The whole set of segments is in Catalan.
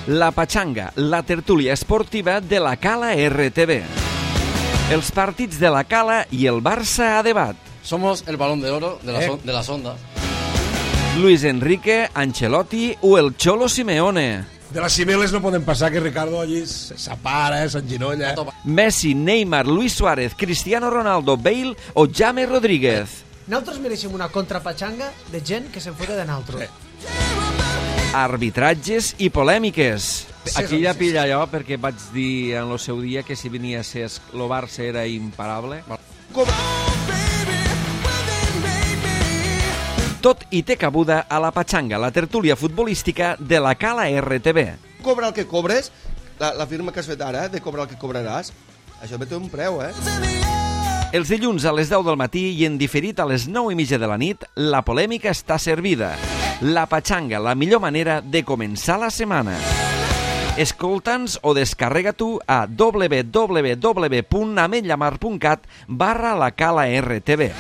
La Pachanga, la tertúlia esportiva de la Cala RTV. Els partits de la Cala i el Barça a debat. Somos el balón de oro de las ondas. Luis Enrique, Ancelotti o el Cholo Simeone. De las Cibeles no poden passar que Ricardo allí s'apara, s'enginolla. Messi, Neymar, Luis Suárez, Cristiano Ronaldo, Bale o James Rodríguez. Nosaltres mereixem una contrapatxanga de gent que se'n fota de nosaltres. Arbitratges i polèmiques. Aquí ja pilla allò perquè vaig dir en el seu dia que si venia a ser el Barça era imparable. Tot i té cabuda a la Pachanga, la tertúlia futbolística de la Cala RTV. Cobra el que cobres, la firma que has fet ara, de cobrar el que cobraràs, això té un preu, Els dilluns a les 10 del matí i en diferit a les 9:30 de la nit, la polèmica està servida. La Pachanga, la millor manera de començar la setmana. Escolta'ns o descarrega tu a www.ametllamar.cat/la Cala RTV.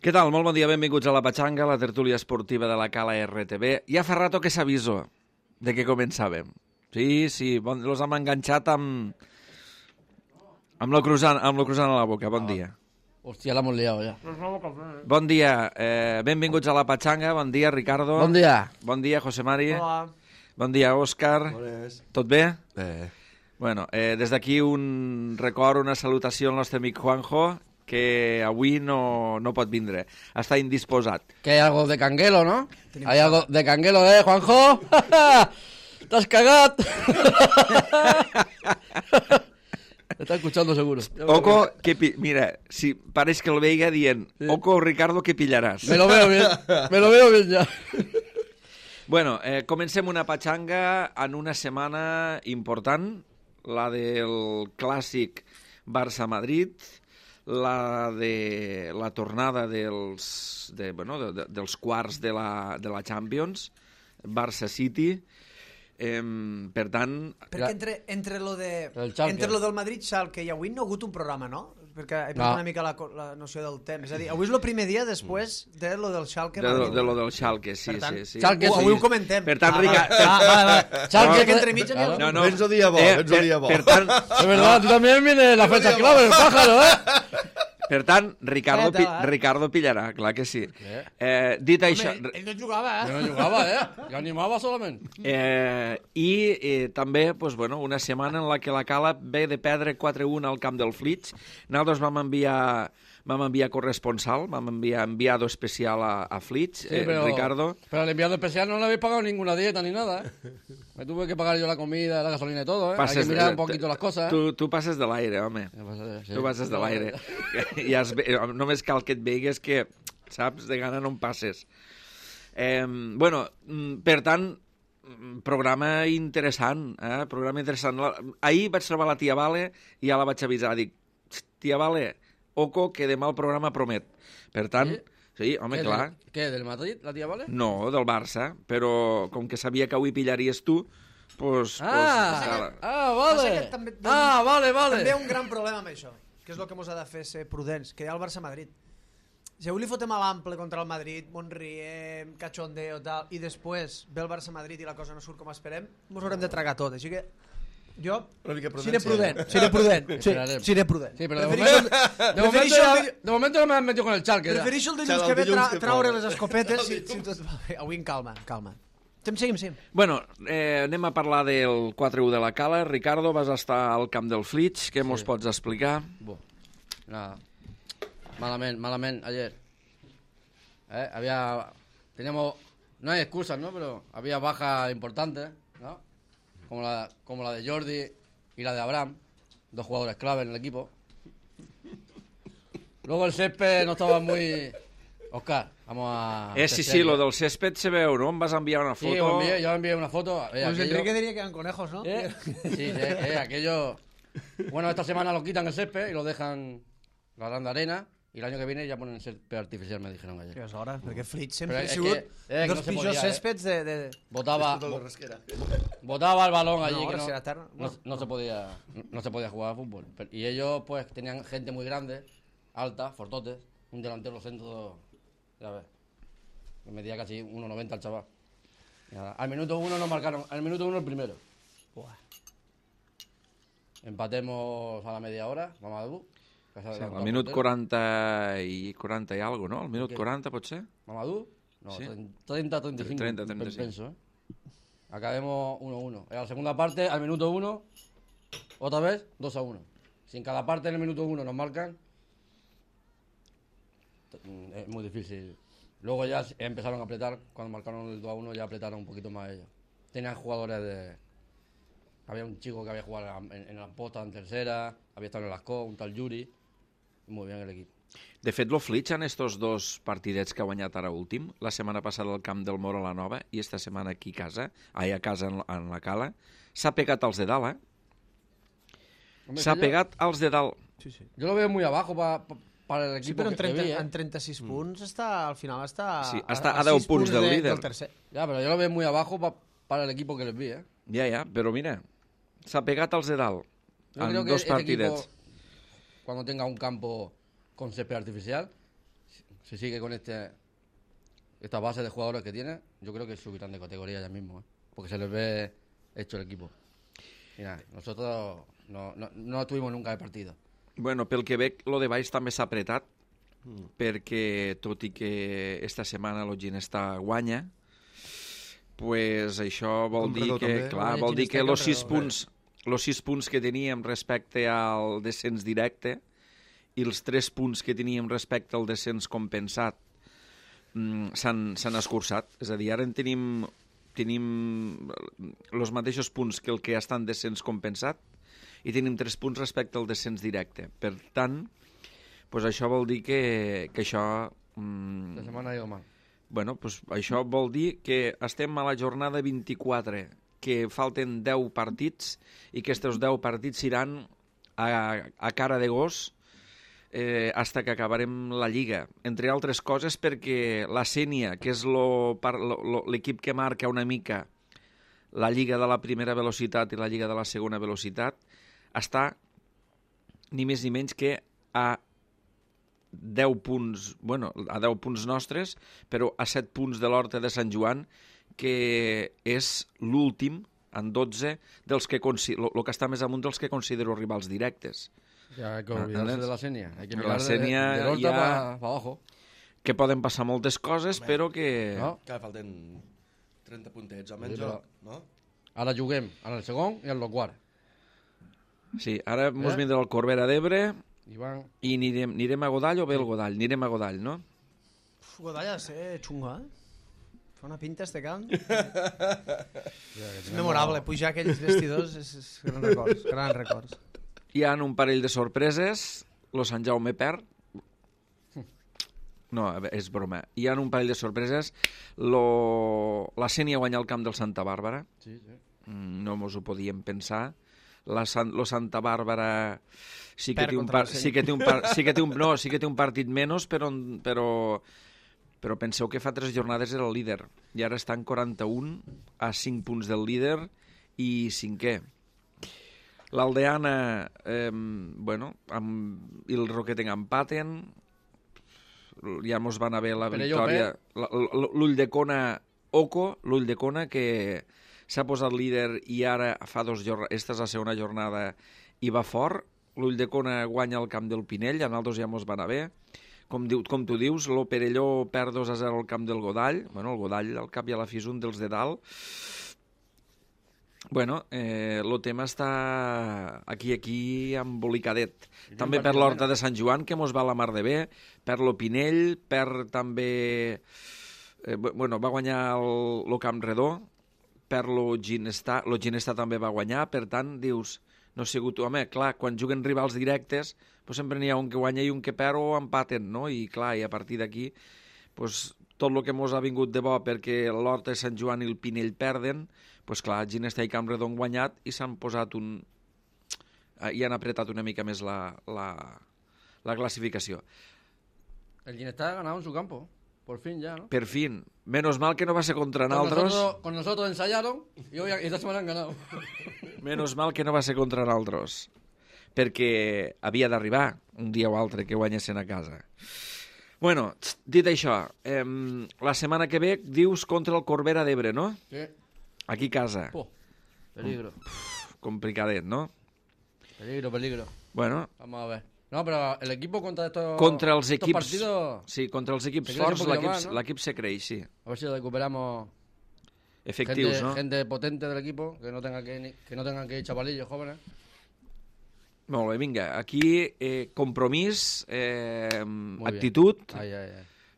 Què tal? Molt bon dia, benvinguts a la Pachanga, la tertúlia esportiva de la Cala RTV. Ja fa rato que s'aviso de que començàvem. Sí, los hem enganxat amb lo cruzant a la boca. Bon dia. Hòstia, l'hemos liado ja. Bon dia, benvinguts a la Pachanga. Bon dia, Ricardo. Bon dia. Bon dia, José Mari. Hola. Bon dia, Òscar. Bones. Tot bé? Bé. Bueno, des d'aquí un record, una salutació al nostre amic Juanjo, que avui no pot vindre. Està indisposat. Que hay algo de canguelo, ¿no? Hay algo de canguelo, Juanjo? T'has cagat. Está escuchando seguro. Oco, mira, si pareix que el veiga dient, sí. Oco, Ricardo, que pillaràs. Me lo veo bien ya. Bueno, comencem una Pachanga en una setmana important, la del clàssic Barça-Madrid, la de la tornada dels quarts de la Champions, Barça-City. Per tant... Perquè entre lo del Madrid-Schalke i avui no ha hagut un programa, no? Perquè he perdut una mica la noció del temps. És a dir, avui és el primer dia després de lo del Schalke-Madrid. De lo del Schalke, sí. Avui ho comentem. Per tant, Schalke que entre mig... No. Vens el dia bo, Per tant... Es verdad, tú también viene la fecha clave, el pájaro, Per tant, Ricardo pillarà, clar que sí. Dit això... Ell no jugava, Yo no jugaba, Yo animaba solamente. I també, una setmana en la que la Cala ve de perdre 4-1 al camp del Flix. Nosaltres vam enviar corresponsal, vam enviar enviado especial a Flix, Ricardo. Pero al enviado especial no le habéis pagado ninguna dieta ni nada, Me tuve que pagar yo la comida, la gasolina y todo, Hay que mirar un poquito las cosas, Tu passes de l'aire, home. Sí. Tu passes de l'aire. Només cal que et veigues que, saps, de gana no em passes. Per tant, programa interessant, programa interessant. Ahir vaig trobar la tia Vale i ja la vaig avisar. Dic, tia Vale, oco, que demà el programa promet. Per tant, sí, home, clar. Què, del Madrid, la tia Vale? No, del Barça, però com que sabia que avui pillaries tu, vale. Vale. També hi ha un gran problema amb això, que és el que ens ha de fer ser prudents, que hi ha el Barça-Madrid. Si avui li fotem a l'ample contra el Madrid, Monriem, cachondeo, tal, i després ve el Barça-Madrid i la cosa no surt com esperem, ens haurem de tragar tot. Així que jo seré prudent. Sí, pero de momento no me has metido con el Schalke. Prefereixo el dilluns que ve traure les escopetes. Avui en calma. Seguim. Bueno, anem a parlar del 4-1 de la Cala. Ricardo, vas estar al camp del Flix. Què mos pots explicar? Nada. Malamente ayer. Teníamos, no hay excusas, ¿no? Pero había bajas importantes, ¿no? Como la de Jordi y la de Abraham, 2 jugadores clave en el equipo. Luego el césped no estaba muy... Oscar, vamos a... Sí, lo del césped se veu, ¿no? Em vas enviar una foto. Sí, yo envié una foto. Pues Enrique diría que eran conejos, ¿no? Sí, aquello... Bueno, esta semana lo quitan el césped y lo dejan la gran arena. Y el año que viene ya ponen el césped artificial, me dijeron ayer. Que és hora, perquè Flix sempre ha sigut dels pitjors céspedes de... Botaba el balón allí, no se podía jugar a fútbol. Y ellos pues tenían gente muy grande, alta, fortotes, un delantero centro, ya ves. Me medía casi 1,90 el chaval. Y nada, al minuto 1 nos marcaron, al minuto 1 el primero. Buah. Empatemos a la media hora, Mamadou. Sí, al minut 40 i algo, no? Al minut 40, pot ser? ¿Mamadou? No, Sí. 30-35. 30-35. Penso, ¿eh? Acabemos 1-1. En la segunda parte, al minuto 1, otra vez 2-1. Si en cada parte en el minuto 1 nos marcan, es muy difícil. Luego ya empezaron a apretar, cuando marcaron el 2-1 ya apretaron un poquito más ellos. Tenían jugadores de... Había un chico que había jugado en la Posta en tercera, había estado en el Ascó, un tal Yuri. Muy bien el equipo. De fet, lo Flitx en estos dos partidets que ha guanyat ara últim, la setmana passada al camp del Moro a la Nova i esta setmana aquí a casa en la Cala, s'ha pegat als de dalt, eh? Hombre, S'ha que pegat als de dalt. Sí, sí. Yo lo veo muy abajo para el Sí, equipo però en, que 30, vi, ¿eh? en 36 punts està, al final està... Sí, està a 10 6 punts del líder. Del tercer. Ya, pero yo lo veo muy abajo para el equipo que les vi, ¿eh? Ja, però mira, s'ha pegat als de dalt Yo en creo que dos este equipo, partidets. cuando tenga un campo con césped artificial, si sigue con esta base de jugadores que tiene, yo creo que subirán de categoría ya mismo, ¿eh? Porque se les ve hecho el equipo. Y nada, nosotros no tuvimos nunca de partido. Bueno, pel que veig, lo de baix també s'ha apretat, perquè tot i que esta setmana el Ginestà guanya, pues això vol dir Comprador que, també. clar, Guanya vol dir Ginestà que i els 6 punts que teníem respecte al descens directe i els 3 punts que teníem respecte al descens compensat s'han escurçat. És a dir, ara en tenim els mateixos punts que el que està en descens compensat i tenim 3 punts respecte al descens directe. Per tant, pues això vol dir que això... La semana ha ido mal. Bueno, pues això vol dir que estem a la jornada 24, que falten 10 partits i que aquests 10 partits iran a cara de gos hasta que acabarem la Lliga. Entre altres coses perquè la Sénia, que és l'equip que marca una mica la Lliga de la primera velocitat i la Lliga de la segona velocitat, està ni més ni menys que a 10 punts, bueno, a 10 punts nostres, però a 7 punts de l'Horta de Sant Joan, que és l'últim, en 12, dels que el que està més amunt dels que considero rivals directes. Ya hay que olvidarse de la Senia. Hay que La mirar Senia del Horta ya- para abajo. Que poden passar moltes coses, però que... No? Que falten 30 puntets, Sí, almenys, però- no? Ara juguem en el segon i en el quart. Sí, ara mos vindrà el Corbera d'Ebre I van... i anirem a Godall o bé el Godall? Anirem a Godall, no? Uf, Godall ha de ser xunga, eh? Fa una pinta este camp. És memorable, pujar aquells vestidors és grans records, grans records. Hi ha un parell de sorpreses, lo Sant Jaume perd. No, és broma. Hi ha un parell de sorpreses. La Sénia guanya el camp del Santa Bàrbara. Sí, sí. No mos ho podíem pensar. Lo Santa Bàrbara sí que Perd té un, contra la sí que té un, sí que té un, no, sí que té un partit menys, però penseu que fa 3 jornades era el líder i ara està en 41 a 5 punts del líder i 5è. L'Aldeana, bueno, i el Roquetenc empaten, ja mos van haver la Però victòria. L'Ull de Cona, Oco, l'Ull de Cona, que s'ha posat líder i ara fa 2 jornades, esta és la segona jornada, i va fort. L'Ull de Cona guanya el camp del Pinell, a nosaltres ja mos van haver. Com tu dius, lo Perelló perd 2-0 al camp del Godall. Bueno, el Godall al cap i a la fi és un dels de dalt. Bueno, el tema està aquí embolicadet. També per l'Horta de Sant Joan, que mos va la mar de bé, per lo Pinell, per també... bueno, va guanyar el Camp Redó, per lo Ginestà també va guanyar, per tant, dius, no ha sigut... Home, clar, quan juguen rivals directes, pues sempre n'hi ha un que guanya i un que perd o empaten, no? I clar, i a partir d'aquí, pues, tot el que mos ha vingut de bo perquè l'Horta de Sant Joan i el Pinell perden, pues clar, Ginestà i Camp Redó han guanyat i s'han posat i han apretat una mica més la classificació. El Ginestá ha ganado en su campo. Por fin ya, ¿no? Per fin, menos mal que no va ser contra naltros. Con nosotros ensayaron y hoy esta semana han ganado. Menos mal que no va ser contra naltros. Perquè havia d'arribar un dia o altre que guanyessin a casa. Bueno, dit això, la setmana que ve dius contra el Corbera d'Ebre, no? Sí. Aquí a casa. Peligro. Complicadet, ¿no? Peligro. Bueno, Vamos a ver. No, pero el equipo contra estos, contra els estos equips... partidos, Sí, contra els equips Se creix un forts poquito más, ¿no? l'equip se creix, sí. a ver si lo recuperamos. Efectius, gente, no? gente potente del equipo, que no tengan que ir chavalillos jóvenes. Molt bé, vinga. Aquí, compromís, Muy bien. actitud, Ay.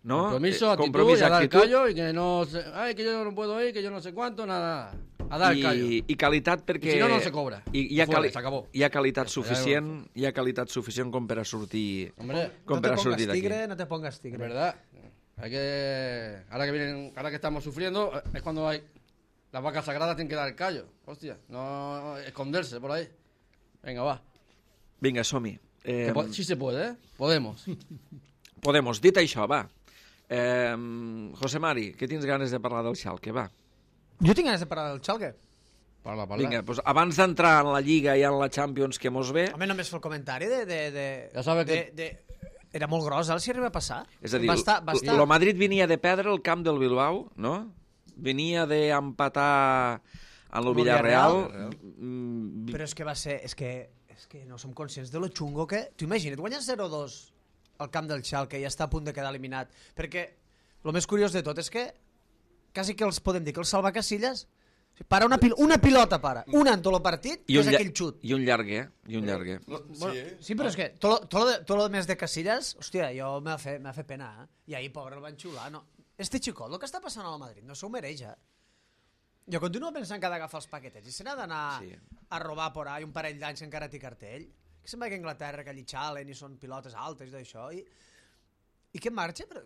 no? Compromiso, actitud, compromís, y a dar el actitud callo, y que no se... Ay, que yo no puedo ir, que yo no sé cuánto, nada. A dar el callo. i qualitat perquè... I si no, no se cobra. Hi ha, Fuera, s'acabó. hi ha qualitat Ja suficient, hi ha qualitat suficient com per a sortir, Hombre, com No per te a sortir pongas d'aquí. tigre, no te pongas es tigre. verdad. Hay que... Ahora que estamos sufriendo, es cuando hay... Las vacas sagradas tienen que dar el callo. Hostia, no esconderse por ahí. Venga, va. Vinga, som-hi. Sí se puede, ¿eh? Podemos. Podemos. Dit això, va. José Mari, que tens ganes de parlar del Schalke, va. Jo tinc ganes de parlar del Schalke. Parla. Vinga, doncs abans d'entrar en la Lliga i en la Champions que mos ve, Home, només fer el comentari Ja sabe que... Era molt gros, el si arriba a passar. és a dir, va estar... el Madrid venia de perdre el camp del Bilbao, no? Venia d'empatar en el Villarreal. Però és que va ser... És que no som conscients de lo xungo que... Tu imagina't, guanyes 0-2 al camp del Schalke i està a punt de quedar eliminat. Perquè el més curiós de tot és que quasi que els podem dir que els salvacasilles para una pilota, para. Una en tot el partit, I que és aquell xut. I un llarguer, i un llarguer. Sí, però és que tot lo més de Casillas, hòstia, jo m'ha fet pena, eh? I ahir, pobre, el van xiular, no? Este xicot, el que està passant al Madrid, no s'ho mereix, eh? Jo continuo pensant que ha d'agafar els paquetets i se n'ha d'anar a robar por ahí un parell d'anys que encara té cartell. Que se'n va que a Anglaterra, que allí xalen i són pilotes altes i d'això. I que marxa, però...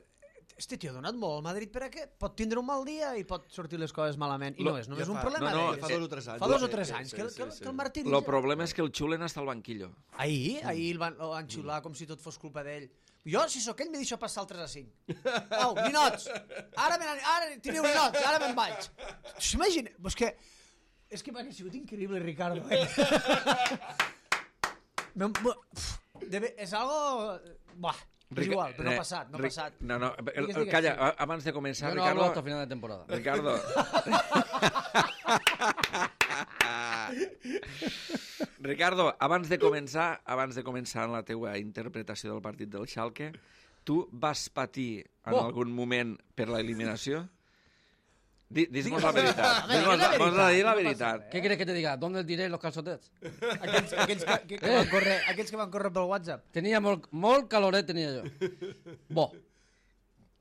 Este tio ha donat molt al Madrid per a què? Pot tindre un mal dia i pot sortir les coses malament. I no és només un problema no, d'ell. Fa 2 o 3 anys. Fa 2 o 3 anys que el martiritza. El problema és que el xulen hasta el banquillo. Ahir el van xiular com si tot fos culpa d'ell. Jo, si sóc ell, me deixo passar el 3 a 5. Au, ninots! Ara teniu ninots, ara me'n vaig. S'imagina... És que m'ha sigut increïble, Ricardo. És algo... Buah, és igual, però no ha passat, no ha passat. No, calla, abans de començar, Yo no Ricardo... hablo hasta final de temporada. Ricardo. Ricardo, abans de començar en la teua interpretació del partit del Schalke, tu vas patir en algun moment per l'eliminació? Dis-nos la veritat. Dis-nos la veritat. ¿Qué quieres que te diga? ¿Dónde diré los calçotets? Aquells que van córrer pel WhatsApp. Tenía molt caloret, tenía yo. Bo.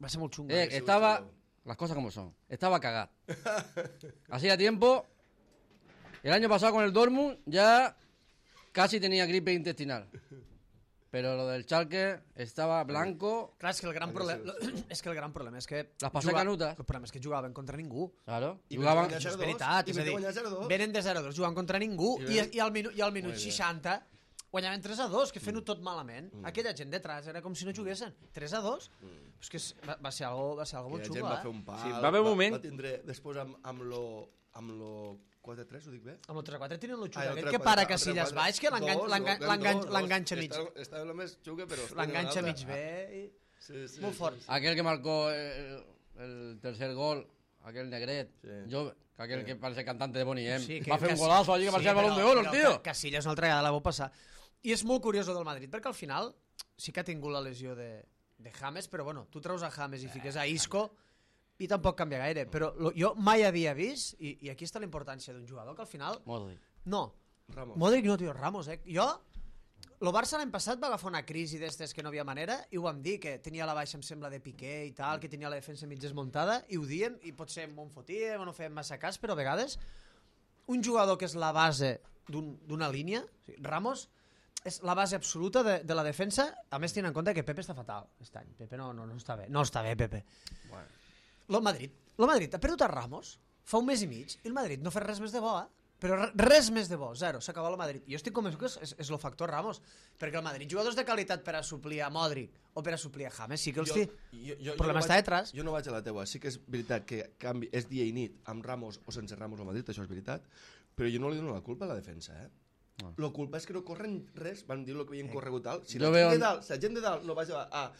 Va ser molt xungo. Estaba... Las cosas como son. Estaba cagado. Hacía tiempo... El año pasado con el Dortmund ya casi tenía gripe intestinal. Pero lo del Schalke estaba blanco. Clar, és que el gran problema és que... Les passé canutes. El problema és que jugaven contra ningú. Claro. I Jugaven... guanyar 0-2. És veritat, és a dir, guanyar 0-2. venen de 0-2, jugant contra ningú, i al minut 60 guanyaven 3-2, que fent-ho tot malament. Aquella gent detrás era com si no juguessin. 3-2. És que va ser algo molt Aquella gent xulo, va fer un pal. Sí, va haver un moment- Va tindre després amb lo 4-3, ho dic bé? Amb el 3-4 tenen el xulo el aquell 3-4, que para el Casillas 3-4. baix, que l'enganxa mig. Estava el més xuga, però... L'enganxa mig bé. Sí. Molt fort. Aquel que marcó el tercer gol, aquel negret, yo, aquel que parece cantante de Bonnie M. Sí, Va a hacer un golazo allí que parecía el balón de oro, el tío. Casillas una altra vegada la vau passar. I és molt curiós del Madrid, perquè al final sí que ha tingut la lesió de James, però bueno, tu treus a James i fiques a Isco i tampoc canvia gaire. Però jo mai havia vist, i aquí està la importància d'un jugador, que al final... Modric. No, Ramos. Modric no, tio, Ramos, eh? Jo... El Barça l'any passat va agafar una crisi d'estes que no havia manera i ho vam dir, que tenia la baixa, em sembla, de Piqué i tal, que tenia la defensa mig desmuntada, i ho diem, i potser m'ho fotíem o no fèiem massa cas, però a vegades un jugador que és la base d'una línia, Ramos, és la base absoluta de la defensa, a més tenint en compte que Pepe està fatal aquest any. Pepe no està bé. No està bé, Pepe. El Madrid ha perdut a Ramos fa un mes i mig i el Madrid no fa res més de bo, però res més de bo, zero, s'acaba el Madrid. Jo estic convençut que és el factor Ramos, perquè el Madrid, jugadors de qualitat per a suplir a Modric o per a suplir a James, sí que els té. El problema està detrás. Jo no vaig a la teua, sí que és veritat que és dia i nit amb Ramos o sense Ramos al Madrid, això és veritat, però jo no li dono la culpa a la defensa, La culpa és que no corren res, van dir el que havien corregut tal. Si la gent de dalt no vaig a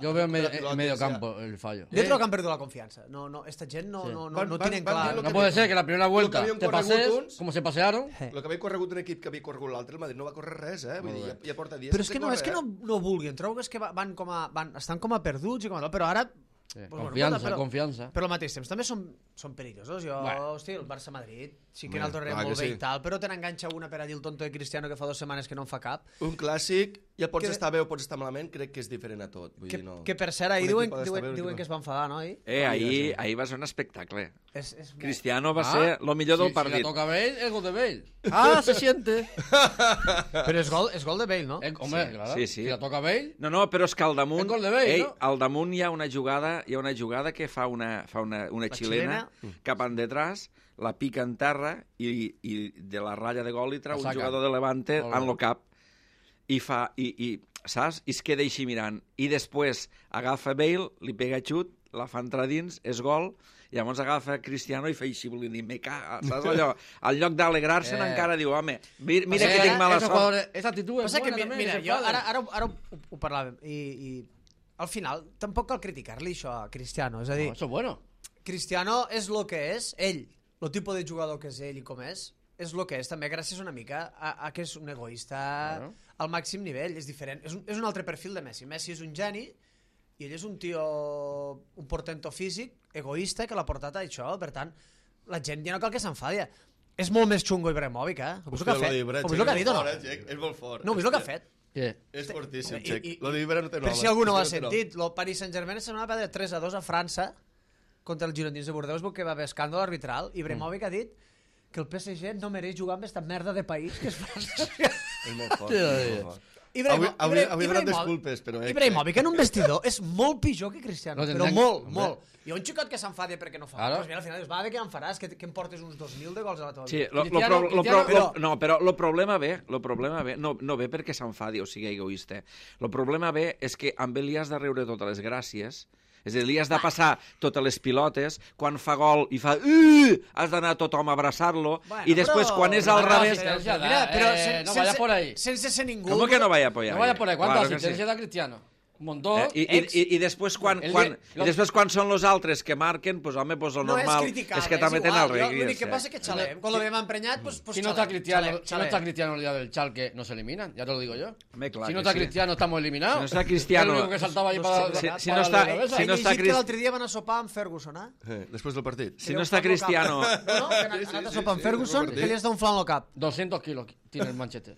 Yo veo en medio campo el fallo. Jo trobo que han perdut la confiança. No, esta gent no tienen clar. No puede ser que la primera vuelta habían te corregut pases uns. como se pasearon. El que havia corregut un equip que havia corregut l'altre, el Madrid no va córrer res, Vull dir, ja porta dies Però és sense que córrer, no vulguin, trobo que és que estan com a perduts i com a tal, però ara... Confiança. Però al mateix temps també són perillosos. Hosti, el Barça-Madrid sí que el tornem clar molt que bé sí. i tal, però te n'enganxa una per allí el tonto de Cristiano que fa 2 setmanes que no en fa cap. Un clàssic, ja pots estar bé o pots estar malament, crec que és diferent a tot. Vull dir, no. Que per cert, ahir Un equip ha d'estar bé, un diuen equip que es va enfadar, no? Ahir va ser un espectacle. És Cristiano va ser el millor del Si partit. la toca Bale, el gol de Bale. Ah, se siente. Però és gol de Bale, no? Hombre, claro. Sí. Si la toca Bale... No, però és que al damunt... El gol de Bale, no? Al damunt hi ha una jugada que fa una xilena cap endetrás, la pica en terra i de la ratlla de gol li trau un jugador de Levante en el cap i saps? I es queda així mirant. I després agafa Bale, li pega xut, la fa entrar dins, és gol, i llavors agafa Cristiano i fa així, volent dir, me caga, saps allò? Al lloc d'alegrar-se'n encara diu, home, mira que tinc mala sort. Esa actitud es buena també. Mira, jo ara ho parlàvem, i al final tampoc cal criticar-li això a Cristiano, és a dir... Eso es bueno. Cristiano és el que és, ell, el tipus de jugador que és ell i com és el que és també gràcies una mica a que és un egoista al màxim nivell, és diferent, és un altre perfil de Messi. Messi és un geni i ell és un tio, un portento físic, egoista, que l'ha portat a això, per tant, la gent ja no cal que s'enfadi. És molt més xungo Ibrahimovic, Ho vist el que ha fet? Ho vist el que ha dit o no? És molt fort. No, ho vist el que ha fet? Què? És fortíssim, I- Xec. i- Lo d'Ibra no té nom. Per si algú no ho ha sentit, el Paris Saint-Germain se n'ha perdre 3-2 a França contra els girondins de Bordeus perquè va haver escàndol arbitral i Ibrahimovic ha dit que el PSG no mereix jugar amb esta merda de país que és França. És molt fort. És molt fort. Avui donat disculpes, però... Ibrahimovic en un vestidor és molt pitjor que Cristiano, No però tindran- molt, Hombre. molt. I un xicot que s'enfada perquè no fa. Claro. Pues mira, al final dius, va, de què em faràs? Que em portes uns 2.000 de gols a la teva Sí, vida. no, però el problema ve, no ve perquè s'enfadi o sigui egoista. El problema ve és que amb ell li has de riure totes les gràcies, és a dir, li has de passar totes les pilotes, quan fa gol i fa... has d'anar tothom a abraçar-lo, i després quan és al revés... Mira, però no vaya por ahí. sense ser ningú... ¿Cómo que no vaya a apoyar? No vaya por ahí. Claro ¿Cuántas que sí. asistencias da Cristiano? Un montón. I després quan són los altres que marquen, pues home, pues lo No és normal criticable, és que també tenen el reggae. L'únic que passa és que xalem. Quan lo veiem emprenyat, pues Si no está xalem, Cristiano el día del Chalque, no se eliminan, ya te lo digo yo. Home, clar Si no que está sí. Cristiano, estamos eliminados. Si no está Cristiano- El único que saltaba ahí No para... sé, si no está- si no està que l'altre dia van a sopar amb Ferguson, Després del partit. Si no està Cristiano... No, que han anat a sopar amb Ferguson, que li has d'un flan al cap. 200 kilos tiene el Manchester.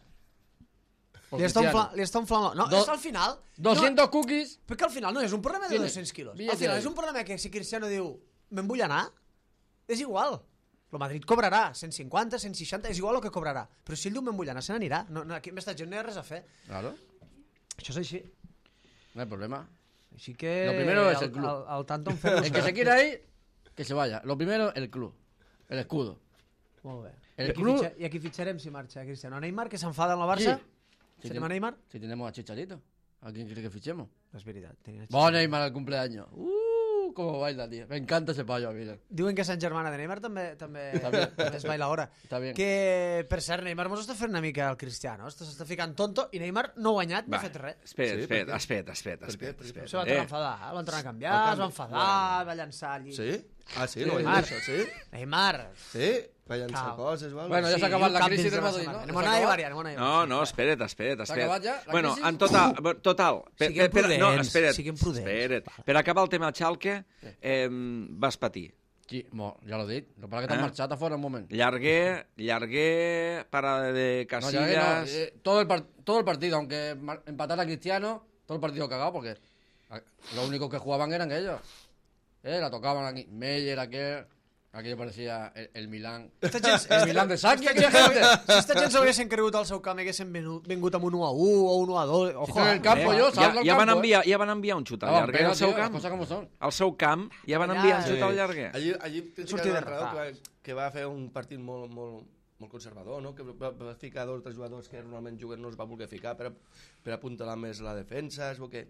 Por Li Cristiano. està un flan... No, és al final... 200 cookies. Perquè al final no és un problema de Tiene 200 quilos. Al billete final ahí. és un problema que si Cristiano diu me'n vull anar, és igual. El Madrid cobrarà 150, 160, és igual el que cobrarà. Però si ell diu me'n vull anar, se n'anirà. No, aquí amb esta gent no hi ha res a fer. Claro, Això és així. no hay problema. Així que... Lo primero es el club. Al tanto en Ferguson. El que se quiera ir, que se vaya. Lo primero, el club. El escudo. Molt bé. El club- I aquí fitxarem si marxa Cristiano. Neymar, que s'enfada amb el Barça? Si ¿Seremos a Neymar? Si tenemos a Chicharito. ¿A quién quiere que fichemos? És veritat. Vamos Neymar al cumpleaños. Cómo baila, tío. Me encanta ese payo, mira. Diuen que Sant Germana de Neymar també es baila ahora. Està bien. Que, per cert, Neymar mos està fent una mica el Cristiano. S'està ficant tonto i Neymar no ha guanyat ni ha fet res. Espera. Se va tornar a enfadar, el van tornar a canviar, es va enfadar, va llançar allí. Sí? Ah, sí? No ho he Neymar. dit, això, sí? Neymar. Sí? Va llançar Cal. coses, val? Bueno, ja s'ha acabat la crisi del Madrid, no? Anem a anar a variar, anem a anar a variar. No, espera't. S'ha acabat ja, la Bueno, crisi? en total... Siguem prudents, no, espera't. siguem prudents. Espera't. Per acabar el tema Schalke, vas patir. Sí, ja l'ho he dit. Lo que pasa que t'han marxat a fora un moment. Llarguer, parada de No, ya que no, Casillas... todo el partido, aunque empatara Cristiano, todo el partido cagado porque lo único que jugaban eran ellos. La tocaban aquí. Meyer, aquello parecía el Milán. El Milán de Saki, aquella gente. Si esta gent s'haguessin cregut al seu camp i haguessin vingut amb un 1-1 o un 1-2... Ojo, en el campo yo, salgo al Ja van campo. enviar un xut al llarguer al seu Las camp. cosas como son. Al seu camp ja van Allà, enviar un sí. xut al llarguer. Allí Sortir de l'entrenador que va fer un partit molt conservador, no? Que va ficar 2 o 3 jugadors que normalment juguen no es va voler ficar per apuntalar més la defensa, és que...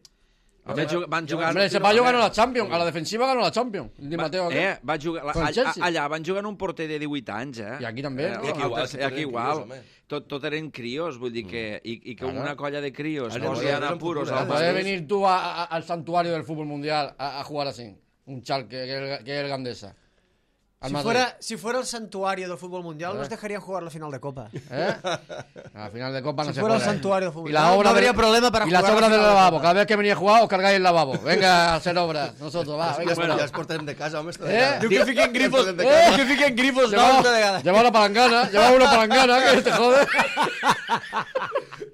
Van jugar... Hombre, ese payo ganó la Champions. A la defensiva ganó la Champions. Di Mateo aquí. Va jugar... Con el Chelsea. Allà van jugar un porter de 18 anys, I aquí també. Aquí igual. Tot eren crios, vull dir que... I que una colla de crios posien a puros al Puedes Madrid. venir tú al santuario del fútbol mundial a jugar así. Un Schalke, que es el Gandesa. Si fuera el santuario del fútbol mundial, nos dejarían jugar la final de Copa. A final de Copa no Si se fuera el juega. santuario del fútbol Y la mundial, obra no habría problema para y jugar las la obras del final de lavabo. Copa. Cada vez que venía a jugar, os cargáis el lavabo. Venga a hacer obras. Nosotros, va. Venga, Ja es portem de casa, home. Diu que fiquen grifos, Lleva una palangana, que te jode.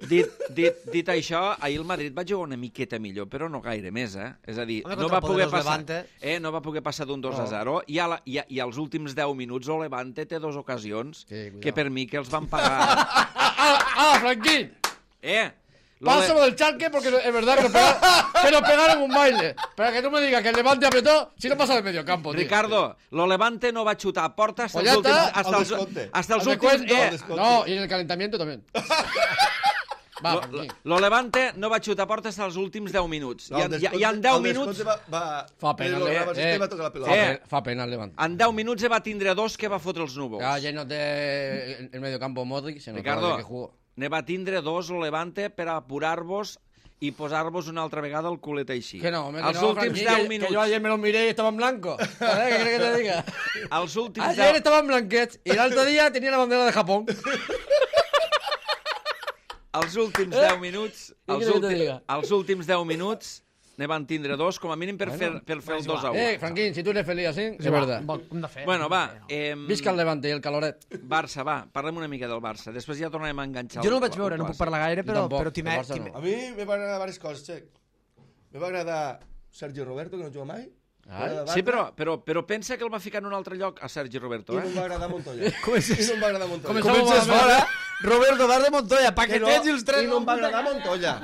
Dit això, ahir el Madrid va jugar una miqueta millor, però no gaire més, És a dir, Home, no contra va poder el passar, Levante. no va poder passar d'un 2-0 i als últims 10 minuts el Levante té 2 ocasions que per mi que els van pagar. Franquín. Lo Pásalo del Schalke porque es verdad que nos pegaron un baile. Para que tú me digas que el Levante apretó, si no pasa del medio campo, tío. Ricardo, lo Levante no va xutar a porta hasta Pues els ya últims... está. Hasta els Al últims... descuento. No, y en el calentamiento también. Va, Franquín. Lo Levante no va xutar a porta hasta els últims 10 minuts. I en 10 minuts... Fa pena, va tocar la pelota. Fa pena el Levante. En 10 minuts va tindre 2 que va fotre els núvols. Ya llenos de el medio campo Modric, se notaba Ricardo, que jugó. ne va tindre 2 el Levante per apurar-vos i posar-vos una altra vegada el culet així. Que no, hombre, que Els no, últims Franquín, 10 minuts. que yo ayer me los miré y estaban blancos. ¿Qué quieres que te diga? Els últims Ayer 10... estaban blanquets y el otro día tenía la bandera de Japón. Els últims 10 minuts... Què quieres que te diga? Els últims 10 minuts ne van tindre 2, com a mínim per fer el 2-1. Franquín, si tú eres feliz así, es verdad. Bueno, va. Visca el Levante i el caloret. Barça, va, parlem una mica del Barça. Després ja tornarem a enganxar... Jo no el vaig veure, no puc parlar gaire, però tampoc, t'hi el Barça no. A mi me van agradar diverses coses, Xec. Me va agradar Sergi Roberto, que no juga mai. Sí, però pensa que el va ficar en un altre lloc a Sergi Roberto, I no em va agradar Montoya. I no em va agradar Montoya. Comences fora, Roberto Bar de Montoya, paquetets i els tres... I no em va agradar Montoya.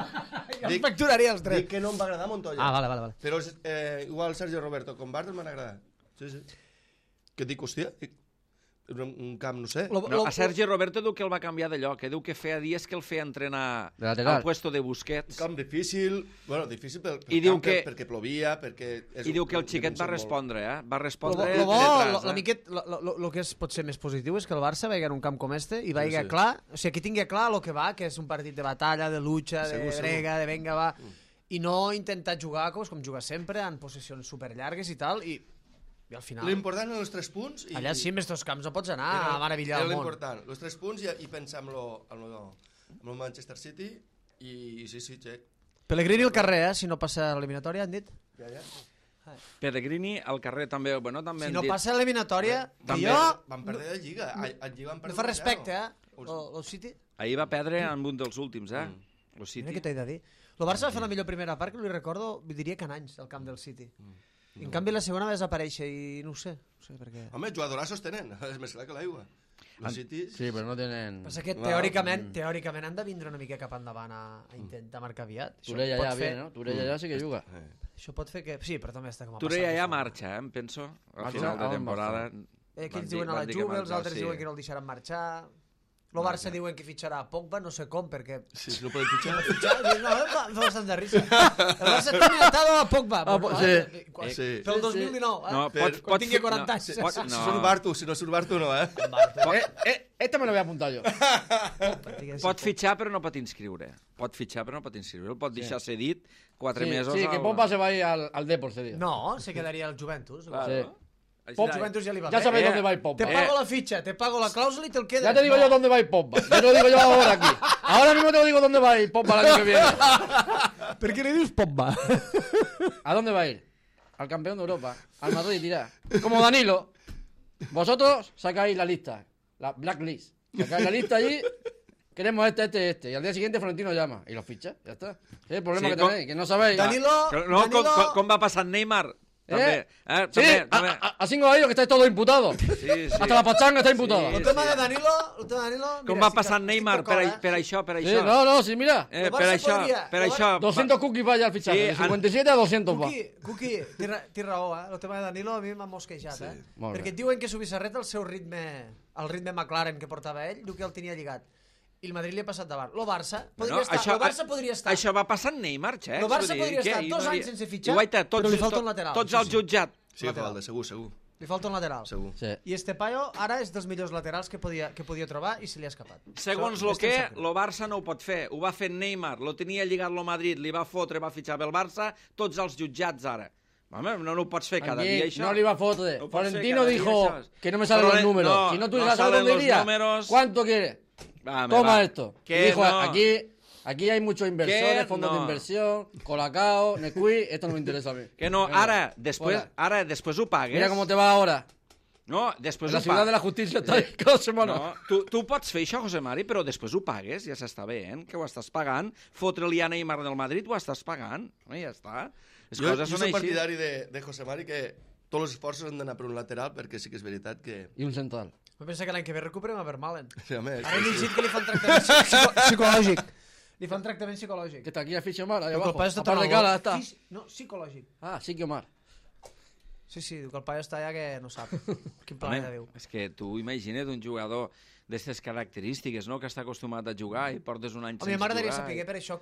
Ja facturaria els tres. Dic que no em va agradar Montoya. Vale. Però igual Sergi Roberto com Bartel m'han agradat. Sí. Que dic, hòstia, un camp, no sé. No, a Sergi Roberto diu que el va canviar de lloc, diu que feia dies que el feia entrenar De lateral. al puesto de Busquets. Un camp difícil, bueno, difícil pel I diu camp, que- perquè plovia, perquè... I diu que el xiquet va respondre, Va respondre Lo bo, detrás, lo que és potser més positiu és que el Barça veiga en un camp com este i veiga sí. clar, o sigui, que tingui clar el que va, que és un partit de batalla, de lucha, de Segur. brega, de venga, va, i no intentar jugar com juga sempre, en possessions superllargues i tal, i al final... L'important eren els 3 punts... I, Allà sí, amb estos camps no pots anar a meravillar el món. Era l'important, els 3 punts i pensar amb el Manchester City i sí, Xec. Pellegrini al carrer, si no passa l'eliminatòria, han dit. Ja. Pellegrini al carrer també, bueno, també Si han no dit... passa l'eliminatòria, que També. jo... Van perdre la Lliga. A Lliga van No perdre fa respecte, el City. Ahir va perdre en un dels últims, Lo Mira City. què t'he de dir. El Barça va fer la millor primera part, que li recordo, diria que en anys, al camp del City. En canvi, la segona va desaparèixer i no ho sé per què. Home, jugadorazos tenen, és més clar que l'aigua. Els City... Sí, pero no tienen... Passa que teòricament han de vindre una mica cap endavant a intentar marcar aviat. Turella ya viene, ¿no? Turella ya sí que juga. Això pot fer que... Sí, però també està com a Turella ja marxa, em penso, al Marxa final de a on temporada. Aquells diuen a la Juve, els altres diuen que no el deixaran marxar... El Barça diuen que fitxarà a Pogba, no sé com, perquè... Sí, no poden fitxar. No, fa bastant de risa. El Barça tiene atado a Pogba. Sí. Pel 2019, No, quan tingui 40 anys. Si surt Bartu, si no surt Bartu no, Esta me lo voy a apuntar yo. Pot fitxar però no pot inscriure. El pot deixar cedit 4 mesos. Sí, que Pompa se va a ir al Depor ese día. No, se quedaria al Juventus. Sí. Juventus ya le va Ya bien. sabéis dónde va a ir Pompa. Te pago la ficha, te pago la cláusula y te lo quedas. Ya te digo yo dónde va a ir Pompa. Ya te lo digo yo ahora aquí. Ahora mismo te lo digo dónde va a ir Pompa el año que viene. ¿Por qué le dices Pogba? ¿A dónde va a ir? Al campeón de Europa. Al Madrid, dirá. Como Danilo. Vosotros sacáis la lista. La blacklist. Sacáis la lista allí. Queremos este. Y al día siguiente Florentino llama. Y lo ficha. Ya está. Es el problema que tenéis. Que no sabéis. Danilo... No, com va passar Neymar? També. Sí, así no ha ido que estáis todos imputados. Sí. Hasta la pachanga está imputada. El tema de Danilo... Com va passar Neymar per això? Sí, no, sí, mira. Per això. 200 cookies vaya al fichaje. Sí, De 57 a 200 va. Cuqui, té raó, El tema de Danilo a mi m'ha mosquejat, Molt bé. Perquè et diuen que Subisarret el seu ritme, el ritme McLaren que portava ell, diu que el tenia lligat. i el Madrid li ha passat davant. El Barça Bueno, podria estar... Això va passar amb Neymar, Xecs. El Barça vull dir, podria què? estar I 2 no anys sense fitxar, Guaita, però li falta un lateral. Tots al jutjat. Sí, Valde, segur. Li falta un lateral. Segur. Sí. I Estepayo ara és dels millors laterals que podia trobar i se li ha escapat. Segons Això el que, estem el Barça no ho pot fer. Ho va fer Neymar, lo tenia lligat el Madrid, li va fotre, va fitxar pel Barça, tots els jutjats ara. Home, no ho pots fer cada Aquí dia, això. no le iba a fotre. No puede ser Florentino cada dijo día, ¿sabes? que no me salen Pero los números. no, Si no no tuviera salen dónde los iría, números. ¿cuánto quiere? Toma esto. Y Que dijo, no. aquí hay muchos inversores, Que fondos no. de inversión, Colacao, Nesquik, esto no me interesa a mí. Que no, Venga, després fuera. ho pagues. Mira cómo te va ahora. No, després La ho ciudad de la pagues. justicia está ahí cada semana. No, tu pots fer això, José Mari, però després ho pagues, ja s'està veient, que ho estàs pagant. Fotre-li a Neymar del Madrid ho estàs pagant. No, ja està. Les Jo coses són soc així. partidari de José Mari que tots els esforços han d'anar per un lateral perquè sí que és veritat que... Y un central. Jo penso que l'any que ve recuperem a Vermaelen. Sí, home, Ara he llegit que li fan tractament psicològic. Li fan tractament psicològic. Que está aquí a Fisio Omar, ahí Diu que el abajo. paio està A par de tan cara al está. No, psicològic. Ah, sí que Omar. Sí, diu que el paio està allà que no sap. Quin Home, planeta viu. és que tu imagina't un jugador d'aquestes característiques, no?, que està acostumat a jugar i portes un any Home, sense m'agradaria jugar. saber per això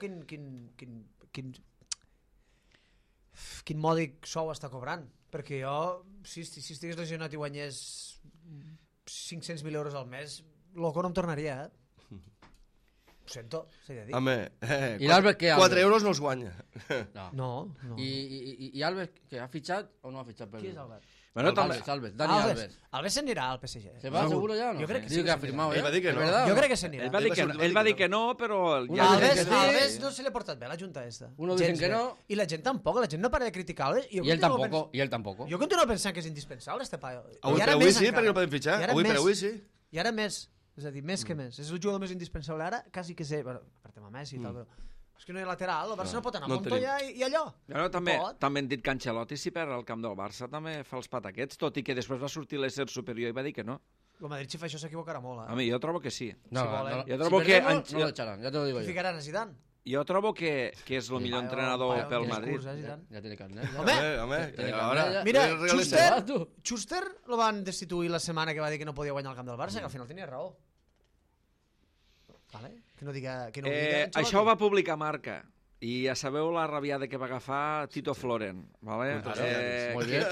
quin mòdic sou està cobrant. Perquè jo, si estigués lesionat i guanyés 500.000 euros al mes, loco no em tornaria, Ho sento, s'ha de dir. Home, I l'Albert què, 4 Albert? euros no els guanya. No. No. ¿Y Albert que ha fichado o no ha fichado? Qui és Albert? Bueno, també... Alves, Dani Alves. Alves s'anirà al PSG. ¿Se va seguro ya o no? Jo crec que Digo sí que ha que firmado Ell ya. va dir que ¿Es no. verdad? Jo crec que s'anirà. Ell va dir que no, però... Una Alves, dicen que sí. Alves no se li ha portat bé la junta esta. Uno dicen Gens que bé. no. I la gent tampoc, la gent no para de criticar Alves. Y él tampoco. Jo continuo pensant que és indispensable, este paio. Avui I ara per avui més sí, encara. perquè el podem fitxar. I ara Avui per més. avui sí. I ara més. És a dir, més que més. És el jugador més indispensable ara, quasi que sé, bueno, per tema Messi i tal, però és que no hi ha lateral, el Barça no pot anar a no el Montoya i allò. Bueno, també, No pot. també han dit que Ancelotti, si perd el camp del Barça, també fa els pataquets, tot i que després va sortir l'ésser superior i va dir que no. El Madrid, si fa això, s'equivocarà molt. A mi, jo trobo que sí. No, Si volen. Jo trobo que no lo echarán, ya te lo digo yo. Ficaran a Zidane. Jo trobo que és el millor entrenador paio, pel tienes Madrid. curs, Zidane. Ya tiene carnet. ya. Home, Home, Tiene ara... carnet, Mira, no regales Schuster, Va, tu. Schuster lo van destituir la setmana que va dir que no podia guanyar el camp del Barça, que al final tenia raó. Vale? Que no diga... Que no ho diga Ancelotti. Això ho va publicar Marca. I ja sabeu la rabiada que va agafar Tito Floren. Vale? Muy bien.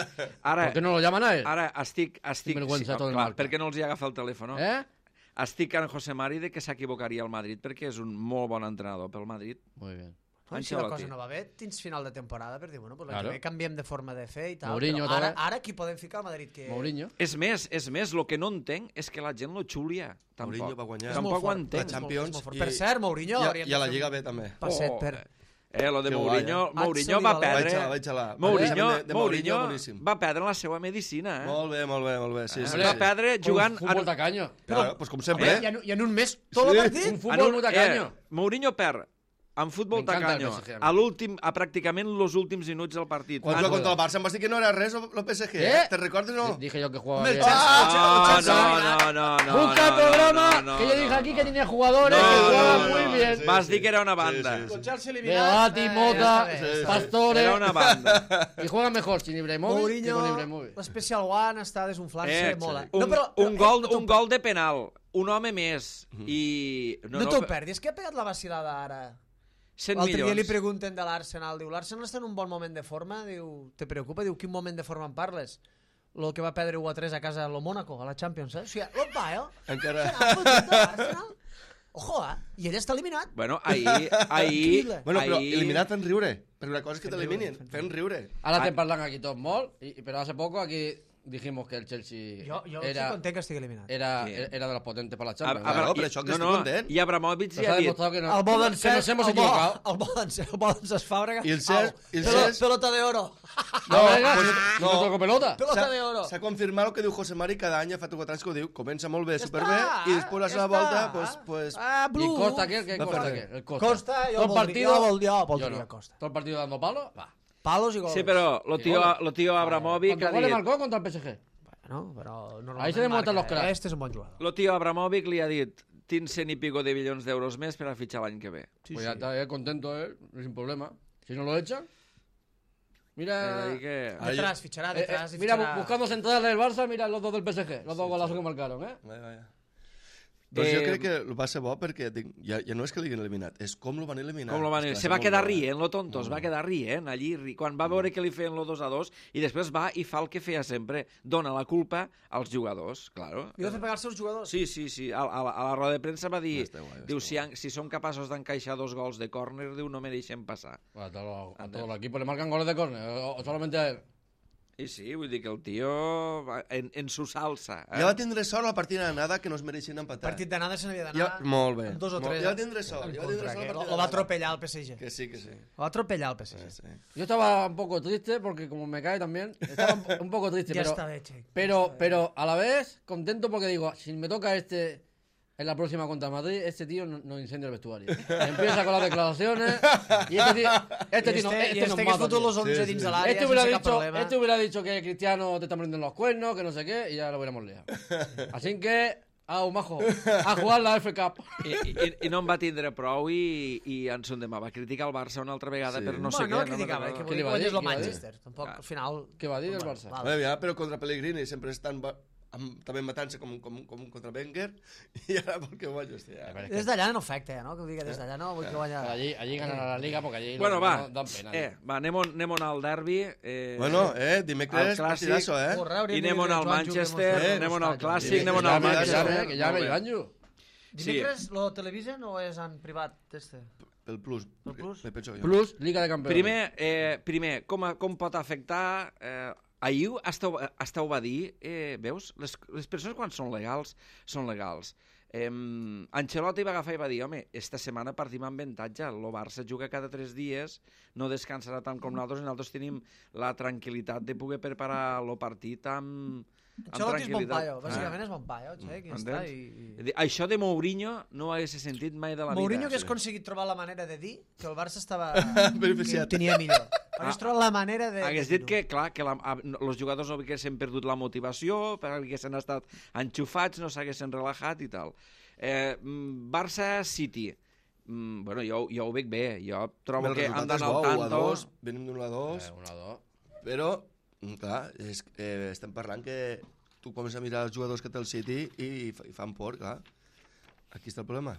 Ara, ¿Por qué no lo llaman a él? ara estic Sinvergüenza tot el clar, Marca. perquè no els hi agafa el telèfon. ¿Eh? Estic amb José Mari de que s'equivocaria al Madrid perquè és un molt bon entrenador pel Madrid. Muy bien. Bueno, si la Ancelotti. cosa no va bé, tens final de temporada per dir, bueno, pues Claro. que canviem de forma de fer i tal. Mourinho però també. ara qui podem ficar al Madrid? Que... Mourinho. És més, el que no entenc és que la gent lo xulia. Tampoc. Mourinho va guanyar. És molt Tampoc ho fort, entenc. és molt- Champions és molt fort. i- Per cert, Mourinho... hauríem I a de la fer Lliga un B també. Passet per... Lo de Que Mourinho, guai, Mourinho va Vaig perdre... Vaig a la... Mourinho, De Mourinho boníssim. va perdre la seva medicina, eh? Molt bé, molt bé, molt bé. Sí, sí, Va sí. perdre jugant... Un fútbol tacaño. Claro, pues com sempre. Home, i en un mes, tot el partit... Un fútbol muy tacaño. Mourinho perd en futbol M'encanta el tacaño PSG, a l'últim, a pràcticament els últims minuts del partit. Quan Ah, juga contra el Barça em vas dir que no era res el PSG. ¿Eh? Te recordes o no? Dije yo que jugaba Home, bien. el no. Busca el programa que yo dije aquí que tenía jugadores que jugaban muy bien. sí. Vas dir que era una banda. Sí, sí, sí. Con Chelsea Beati, eliminat... Mota, ja està bé. Pastores. Era una banda. Y juegan mejor sin Ibrahimovic que Mourinho, con Ibrahimovic. l'Special One està desunflant-se molt. Un gol de penal, un home més i... No t'ho perdis, que ha pegat la vacilada ara. 100 L'altre dia li milions. pregunten de l'Arsenal, diu, l'Arsenal està en un bon moment de forma? Diu, te preocupa? Diu, quin moment de forma en parles? Lo que va perdre 1-3 a casa a lo Mónaco, a la Champions, eh? O sigui, l'Opa, Encara... Serà fotut de l'Arsenal? Ojo, I ell està eliminat. Bueno, ahir... Increïble. Bueno, però ahir- eliminat fent riure. Perquè una cosa és que Fent t'eliminin. riure, Fent riure. Ahora te parlan aquí todos mol, pero hace poco aquí dijimos que el Chelsea Jo estic era, content que estigui eliminat. era, Sí. era de los potentes para la A- Champions. a- Claro, però això que estic content. I Abramovich Nos ja ha ha dit... demostrado que, no, El bo d'en que nos hemos el bo- equivocado. El bo d'en Fàbrega. I el Cesc- Au, i el pelo- Cesc- Pelota de oro. No, venga, pues, si no. no toco pelota. Pelota de oro. S'ha confirmat el que diu José Mari cada any, fa 4 anys que ho diu, comença molt bé, Ja superbé, està, i després la ja seva està. volta, pues... Ah, Y Blue. Costa, ¿qué Va Costa? perder. ¿Qué? El Costa. Costa, jo Todo el partido, voldria yo no. Costa. Todo el partido dando palos, va. Palos i gols. Sí, però lo tío Abramovich ¿Cuántos ha goles dit... marcó contra el PSG? Bueno, però normalment Ahí se demuestran los marca. cracks. Este és un bon jugador. Lo tío Abramovich li ha dit tinc 100 y pico de milions d'euros més per a fitxar l'any que ve. Sí, Pues ya está, contento él, sin problema. Si no lo echan, mira... És a dir que... Detrás, ficharà, detrás. mira, buscando centrales del Barça, mira los dos del PSG, los dos golazos que marcaron, ¿eh? Vaya, vaya. Doncs jo crec que va ser bo perquè ja no és que l'hagin eliminat, és com lo van eliminar. Se va quedar rient, lo tonto, es va quedar rient allí, quan va veure que li feien lo 2-2 i després va i fa el que feia sempre, dona la culpa als jugadors, claro. I va fer pagar els seus jugadors? Sí, a la roda de premsa va dir, diu, si són capaços d'encaixar 2 gols de córner, diu, no mereixen passar. A todo el equipo le marcan goles de córner, o solamente a él. I sí, vull dir que el tio en su salsa. Ja va tindre sort al partit d'anada que no es mereixien empatar. Partit d'anada se n'havia d'anar molt bé. amb 2 o 3. Ja va tindre sort. Lo va atropellar el PSG. Que sí. Lo va atropellar el PSG. Sí. Yo estaba un poco triste porque como me cae también, estaba un poco triste, Ya está hecho. pero a la vez contento porque digo, si me toca en la próxima contra Madrid, este tío no incendia el vestuario. Empieza con las declaraciones y este tío nos que mata. fotut los 11 dins de l'àrea Este hubiera dicho que Cristiano te está prendiendo los cuernos, que no sé qué, y ya lo hubiéramos liado. Así que, majo, a jugar la F Cup. I no en va tindre prou i en son demà va criticar el Barça una altra vegada per no sé què. No criticava, que volia guanyar el Manchester. Tampoc, al final... Què va dir del Barça? Però contra Pellegrini sempre estan també matant-se com contra Wenger i ara vol que guanyi. Des d'allà no afecta, no? Que ho digui des d'allà no vull que guanya... Allí ganan la Liga porque allí bueno, dan pena. Anem al derbi. Dimecres partidazo, I anem al Manchester, anem al Clàssic, anem al Manchester. Que ja ve l'Anjo. Dimecres lo televisen o és en privat? El Plus. Me penso jo. Plus, Liga de Campeones. Primer, com pot afectar... Ahir Esteu va dir, veus, les persones quan són legals, són legals. Ancelotti va agafar i va dir, home, esta setmana partim amb avantatge, el Barça juga cada 3 dies, no descansarà tant com nosaltres, i nosaltres tenim la tranquil·litat de poder preparar el partit amb Ancelotti és bon paio, bàsicament és bon paio, Això de Mourinho no ho hagués sentit mai de la vida. Mourinho hagués aconseguit trobar la manera de dir que el Barça estava... beneficiat. Que tenia millor. Hagués trobat la manera de... Hagués dit que, clar, que els jugadors no haguessin perdut la motivació, perquè haguessin estat enxufats, no s'haguessin relaxat i tal. Barça-City. Bueno, jo ho veig bé. Jo trobo que han d'anar al tanto. Venim d'un 1-2. Però, clar, estem parlant que tu comences a mirar els jugadors que té el City i fan por, clar. Aquí està el problema.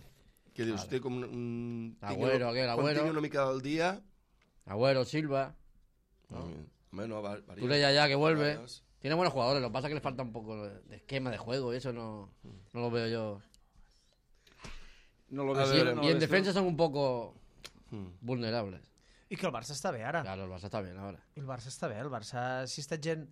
Que dius, té com un... Agüero. Quan tingui una mica del dia... Agüero, Silva. Tú lees ya que vuelve. Tiene buenos jugadores, lo que pasa es que le falta un poco de esquema de juego y eso no lo veo yo. No lo veo. Y en defensa son un poco vulnerables. I que el Barça està bé ara. Claro, el Barça està bé ara. El Barça està bé, el Barça, si està gent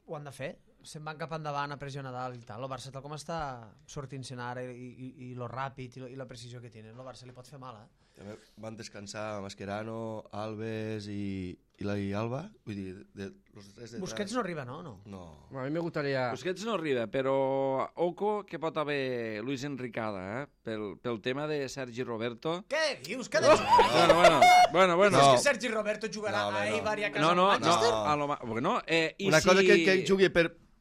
ho han de fer, se'n van cap endavant a pressionar dalt i tal, el Barça tal com està sortint-se'n ara i lo ràpid i la precisió que tenen, el Barça li pot fer mal, També van descansar Mascherano, Alves i Alba, vull dir, los tres detrás. Busquets no arriba, no? No. A mi me gustaría... Busquets no arriba, però oco que pot haver Luis Enricada, pel tema de Sergi Roberto. Què dius? Què dius? Bueno. Dius que Sergi Roberto jugarà a Eibar i a casa al Manchester? No. Una cosa que jugui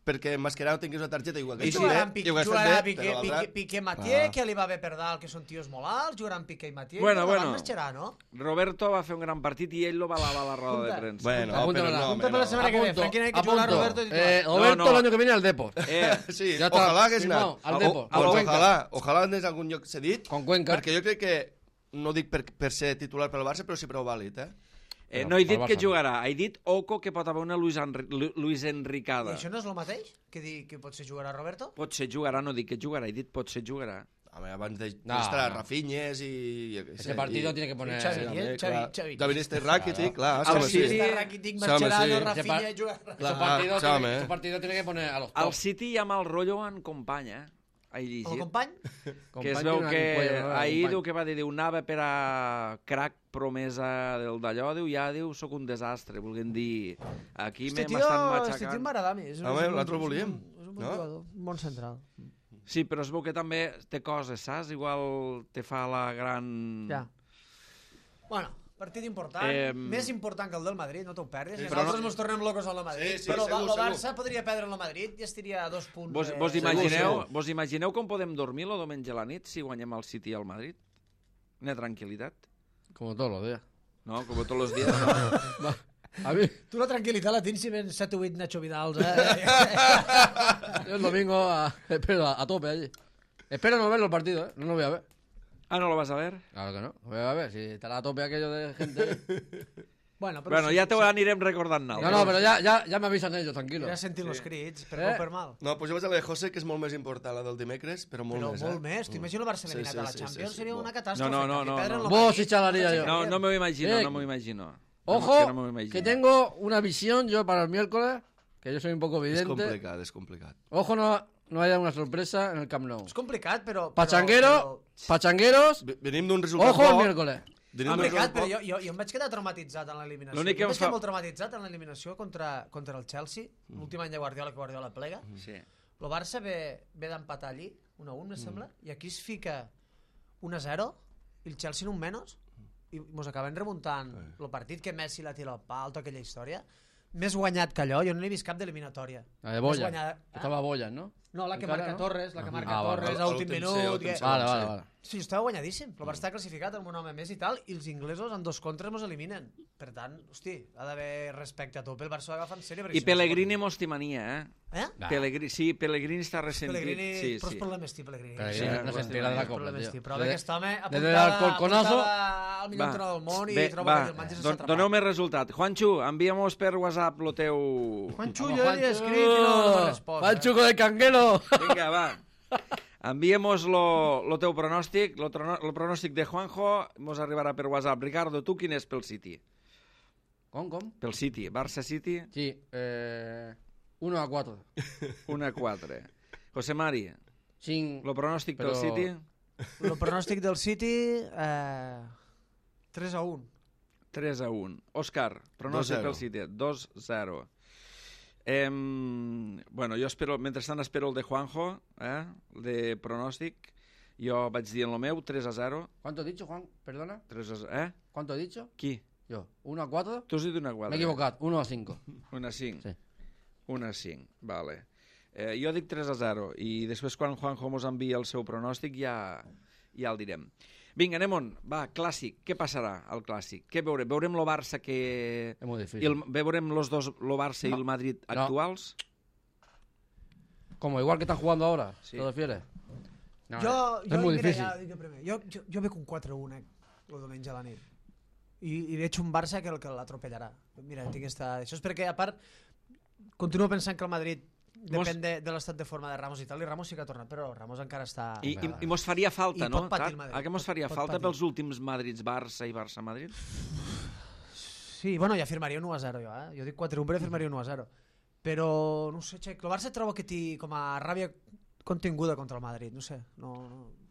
perquè Mascherano tingués una targeta igual que jugaran Piqué Mathieu, que li va bé per dalt, que són tios molt alts, jugaran Piqué i Mathieu, bueno. Mascherano. Roberto va fer un gran partit i ell lo balava a la roda de premsa. Apunta per la setmana que ve, Franquina, que jugarà Roberto titular. Roberto el año que viene al Depor. Sí, ojalà hagués anat. Al Depor. Ojalà anés a algun lloc cedit, con Cuenca. perquè jo crec que, no dic per ser titular pel Barça, però sí prou vàlid, no he dit que jugarà, he dit oco que pot haver una Luis Enricada. I això no és el mateix? Que potser jugarà Roberto? Potser jugarà, no dic que jugarà, he dit potser jugarà. Abans d'estar Rafinhas i... Ese partido tiene que poner... Xavi. David Rakitic, clar. Rakitic, Mascherano, Rafinha... Ese partido tiene que poner a los top. Al City hi ha mal rotllo en company, he llegit. El company? Que es veu que ahir diu que va dir, anava per a crack promesa del d'allò, diu, soc un desastre, volguem dir, aquí m'estan matxacant. Este tio m'agrada a mi. L'altre volíem. És un bon jugador, un bon central. Sí, però es veu que també té coses, saps? Igual te fa la gran... Ja. Bueno, partit important, més important que el del Madrid, no t'ho perdis. Nosaltres ens tornem locos al Madrid, però el Barça podria perdre el Madrid i estaria a 2 punts. Vos imagineu com podem dormir el diumenge a la nit si guanyem el City al Madrid? Una tranquil·litat. Como todos los días. No, como todos los días. No. A mí... Tu la tranquil·litat la tens si ven 7 o 8 Nacho Vidals, Yo el domingo a tope allí. Espero no verlo el partido, ¿eh? No lo voy a ver. Ah, ¿no lo vas a ver? Claro que no. Lo voy a ver. Si estará a tope aquello de gente... Bueno, Bueno, ja t'ho anirem recordant No, nosaltres. no, però ja m'avisen ells, tranquil·lo. Ja sentim els crits, per bo o per mal. No, pues jo vaig a la de José, que és molt més important, la del dimecres, però molt Però més, molt més. T'imagino el Barça eliminat a la Champions, seria una catàstrofe. No. Vos sí xalaría yo. No me lo imagino, Sí. no me lo imagino. Ojo, No me lo imagino. que tengo una visión yo para el miércoles, que yo soy un poco És vidente. és complicat. Ojo, no haya una sorpresa en el Camp Nou. És complicat, però... Pachangueros, Venim d'un resultat ojo el bo. miércoles. Venim d'un Complicat, resultat però bo. jo em vaig quedar traumatitzat en l'eliminació. L'únic que Jo em vaig quedar fa- molt traumatitzat en l'eliminació contra el Chelsea, l'últim any de Guardiola, que Guardiola plega. Sí. El Barça ve d'empatar allí, 1-1, me sembla, i aquí es fica 1-0, i el Chelsea en un menys, i mos acaben remuntant el partit que Messi la tira al pal, tota aquella història. Més guanyat que allò, jo no n'he vist cap d'eliminatòria. La de Més Boya. guanyada- Estaba Boya, ¿no? No, la que Encara, marca no? Torres, la que marca Ah, vale, Torres vale. a últim Últim minut. últim que- Vale. Sí, estava guanyadíssim. El Barça està classificat amb un home més i tal, i els inglesos en 2 contres mos eliminen. Per tant, hosti, ha d'haver respecte a tope. El Barça ho agafa en sèrio. perquè I si no Pellegrini mos t'imania, es pot- Eh? Pellegrini està ressentit. Pellegrini, però els problemes té Pellegrini. Pellegrini no se entera de la copa, Problemes té. tío. Però ve aquest home Desde el alcolconazo... al millor entrenador del món i troba que el Manchester s'ha atrapat. Doneu-me resultat. Juancho, envia-mos per WhatsApp lo teu... Juancho, jo li he escrit i no m'ha respost. Juancho del canguelo. Vinga, va. Enviemos lo teu pronòstic, lo pronòstic de Juanjo, mos arribarà per WhatsApp. Ricardo, tu quin és pel City? ¿Com? Pel City, Barça City, Sí, 1-4. 1-4. José Mari, Sin... lo pronòstic pel Però- City, El pronòstic del City, 3-1. 3-1. Òscar, pronòstic 2-0. pel City, 2-0. Bueno, jo espero, mentrestant espero el de Juanjo, el de pronòstic. Jo vaig dir en el meu, 3-0. ¿Cuánto he dicho, Juan? Perdona. 3-0. ¿Cuánto he dicho? Qui? Yo. 1-4. Tu has dit una 4. Me he equivocat. 1-5. 1-5. Sí. 1-5, vale. Jo dic 3-0 i després quan Juanjo mos envia el seu pronòstic ja el direm. Vinga, anem on? Va, clàssic. Què passarà al clàssic? Què veurem? Veurem el Barça que... Es muy difícil. Veurem los dos, el Barça i el Madrid actuals? Como igual que están jugando ahora, Sí. ¿te refieres? No, Jo, es muy mira, difícil. ja dic primer. Jo veig un 4-1 el diumenge a la nit. I veig un Barça que l'atropellarà. Mira, tinc Això és perquè, a part, continuo pensant que el Madrid depèn de l'estat de forma de Ramos i tal, i Ramos sí que ha tornat, però Ramos encara està... I mos faria falta, I no? pot patir el Madrid. A què mos faria Pot falta patir. pels últims Madrids-Barça i Barça-Madrid? Sí, bueno, ja firmaria un 1-0 jo, Jo dic 4-1, però firmaria un 1-0. Però, no sé, Xec, el Barça trobo que té com a ràbia continguda contra el Madrid, no sé, no,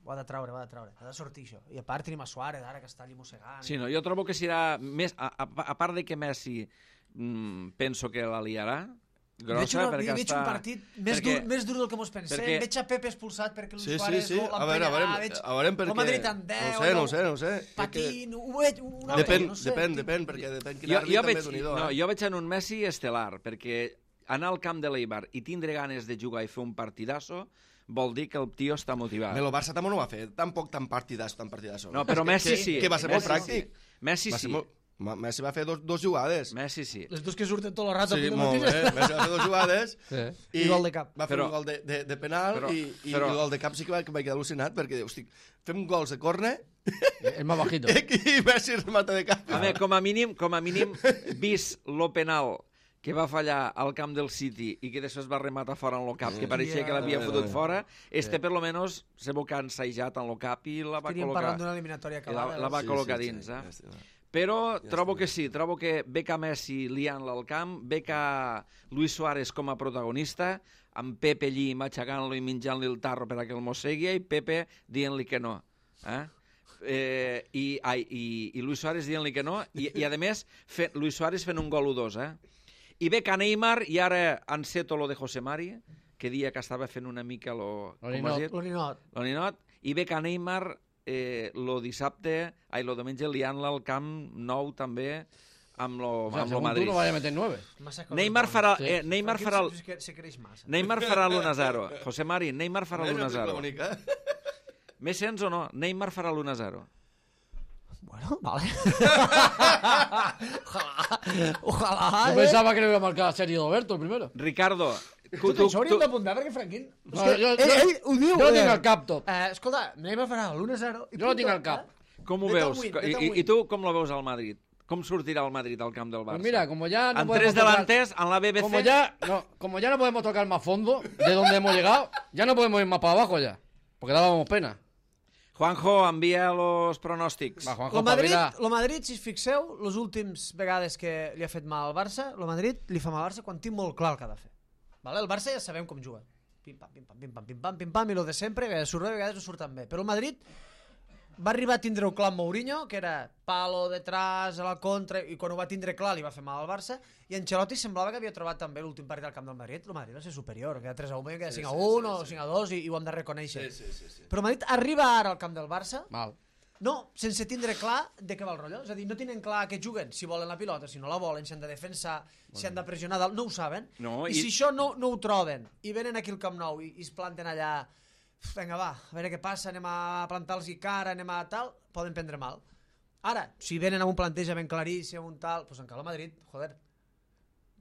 ho ha de treure, ha de sortir això. I a part tenim a Suárez, ara que està allí mossegant. Sí, no, jo trobo que serà més... A part de que Messi penso que la liarà, grossa, perquè veig està... un partit més dur del que mos pensem. perquè- Veig a Pepe expulsat perquè Sí, Suárez A veure per el què... Madrid en 10, No ho sé. patint, ho veig... Depèn, perquè depèn quin àrbit també és unidor. Jo veig en un Messi estel·lar, perquè anar al camp de l'Eibar i tindre ganes de jugar i fer un partidasso vol dir que el tio està motivat. El Barça també no ho va fer, tampoc tan partidasso. No, però Messi sí. Que va ser molt Messi pràctic. Messi Va ser sí. molt- Messi va fer dos jugades. Messi sí. Les dues que surten tot el rato. Sí, molt bé. Messi va fer dos jugades Sí. I gol de cap. Va fer Però- un gol de penal però- i però- el gol de cap sí que vaig quedar al·lucinat perquè, hosti, fem gols de córner Es más bajito. i Messi remata de cap. A veure, com a mínim, vist lo penal que va fallar al camp del City i que després va rematar fora en lo cap, que pareixia que l'havia fotut fora, per lo menos se veu que ha ensajat en lo cap i la va Estaríem col·locar. parlant d'una eliminatòria I acabada. la va col·locar dins, Però trobo que sí, trobo que bec a Messi liant-la al camp, bec a Luis Suárez com a protagonista, amb Pepe allí matxacant-lo i menjant-li el tarro per a que el mossegui, i Pepe dient-li que no. I Luis Suárez dient-li que no, i a més, Luis Suárez fent un gol 1-2, I bec a Neymar, i ara enceto lo de José Mari, que dia que estava fent una mica l'Oninot, i bec a Neymar lo dissabte, lo diumenge liant-la al Camp Nou també amb lo Según Madrid. tú no vaya a meter 9. Neymar farà Se creix massa. Neymar farà l'1-0. José Mari, Neymar farà l'1-0. l'1-0. M'he sents o no? Neymar farà l'1-0. Bueno, vale. Ojalá. Yo pensaba que le iba a marcar a Sergio Roberto el primero. Ricardo, Això hauríem d'apuntar perquè Franquín... No, ell ho diu. Jo tinc al cap tot. Escolta, anem a farà l'1-0. Jo ho tinc al cap. Com ho veus? I tu com lo veus al Madrid? Com sortirà el Madrid al camp del Barça? Pues mira, como ya no en podemos 3 delanters, en la BBC... Como ya no podemos tocar más fondo de donde hemos llegado, ya no podemos ir más para abajo ya. Porque dábamos pena. Juanjo, envia los pronòstics. Va, Juanjo, Lo Madrid, si us fixeu, les últimes vegades que li ha fet mal al Barça, lo Madrid li fa mal al Barça quan té molt clar el que ha de fer. Vale? El Barça ja sabem com juga. Pim-pam, pim-pam, pim-pam, pim-pam, pim-pam, i lo de sempre, que surt bé, a vegades no surten bé. Però el Madrid va arribar a tindre-ho clar amb Mourinho, que era palo detrás, a la contra, i quan ho va tindre clar li va fer mal al Barça, i Ancelotti semblava que havia trobat també l'últim partit al camp del Madrid. El Madrid va ser superior, queda 3-1, queda 5-1 o 5-2, i ho hem de reconèixer. Sí. Però el Madrid arriba ara al camp del Barça, Mal. no, sense tindre clar de què va el rotllo. És a dir, no tenen clar què juguen, si volen la pilota, si no la volen, si han de defensar, si han de pressionar dalt, no ho saben. No, I si això no ho troben, i venen aquí al Camp Nou i es planten allà, vinga va, a veure què passa, anem a plantar-los cara, anem a tal, poden prendre mal. Ara, si venen amb un plantejament claríssim, un tal, doncs encara el Madrid, joder,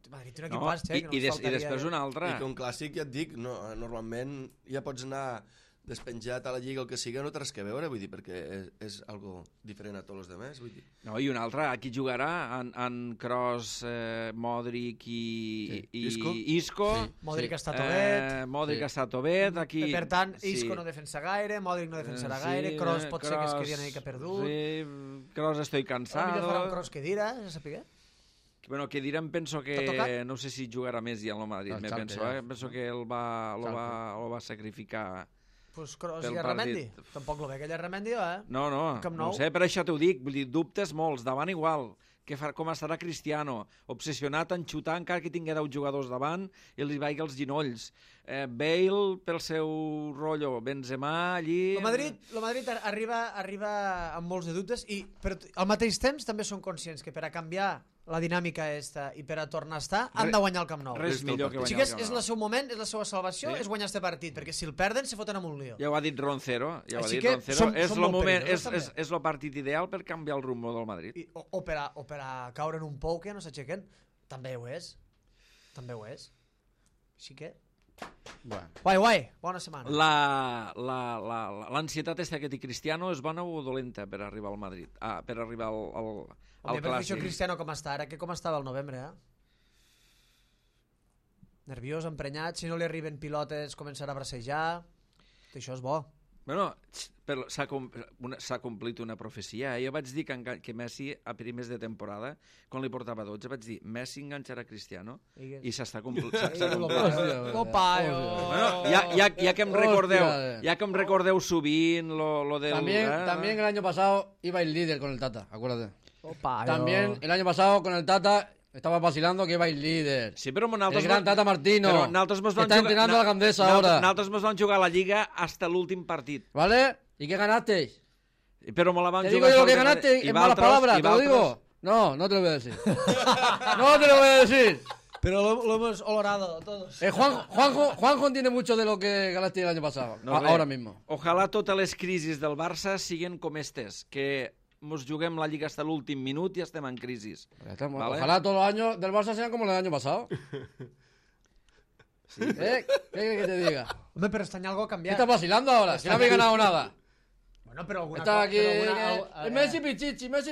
Madrid té un equipàs, que no I després un altre. I que un clàssic, ja et dic, no, normalment ja pots anar despenjat a la Lliga o el que siga, no té res que veure, vull dir, perquè és algo diferent a tots els demés, vull dir. No, i un altre, aquí jugarà en Kroos, Modric i Isco. Sí. Modric està tovet. Modric està tovet. Aquí... Per tant, Isco no defensa gaire, Modric no defensarà gaire, Kroos pot ser que es quedi una mica perdut. Sí, Kroos estoy cansado. Potser farà un Kroos que dirà, ja sapigué. Bueno, que direm, penso que no sé si jugarà més ja en el Madrid, penso que lo va sacrificar. Pues Kroos i Arramendi. Tampoc lo ve aquell Arramendi, No ho sé, per això t'ho dic, vull dir, dubtes molts, davant igual, com estarà Cristiano, obsessionat en xutar encara que tingui 10 jugadors davant i li vagi els ginolls. Bale pel seu rotllo, Benzema allí... El Madrid arriba amb molts de dubtes i al mateix temps també són conscients que per a canviar la dinàmica esta i per a tornar a estar han de guanyar el Camp Nou. Res millor que guanyar el Camp Nou. És el seu moment, és la seva salvació, és guanyar este partit, perquè si el perden se foten amb un lío. Ja ho ha dit Roncero, som és el moment, és perillosos, el partit ideal per canviar el rumbo del Madrid. O per a caure en un pou que no s'aixequen, també ho és. Així que... Guai, bona setmana. L'ansietat esta que té Cristiano és bona o dolenta per arribar al Madrid? Per arribar al Clàssic. Això Cristiano com està ara, que com estava el novembre, nerviós, emprenyat, si no li arriben pilotes començarà a bracejar, això és bo. Bueno, s'ha complit una profecia. Jo vaig dir que Messi a primers de temporada, quan li portava 12, vaig dir Messi enganxarà Cristiano i s'està complint. Ja que em recordeu sovint lo del... También el año pasado iba el líder con el Tata, acuérdate. También el año pasado con el Tata estaba vacilando que iba el líder. Sí, però el gran Tata Martino. Está entrenando a la Gandesa ahora. Nosaltres ens vam jugar a la Lliga hasta l'últim partit. ¿Vale? ¿Y qué ganasteis? Pero me la van ¿Te digo yo lo que ganaste en malas palabras? ¿Te lo digo? No te lo voy a decir. No te lo voy a decir. Pero lo hemos olorado todos. Juanjo entiende mucho de lo que ganaste el año pasado. Ahora mismo. Ojalá totes les crisis del Barça siguen com estes, que nos juguem la Lliga hasta l'últim minut i estem en crisis. ¿Vale? Ojalá todos los años del Barça sean como los del año pasado. Sí. ¿Qué te diga? Hombre, pero este año algo ha cambiado. ¿Qué estás vacilando ahora? Si no habéis ganado nada. Bueno, pero alguna cosa... Está aquí... Messi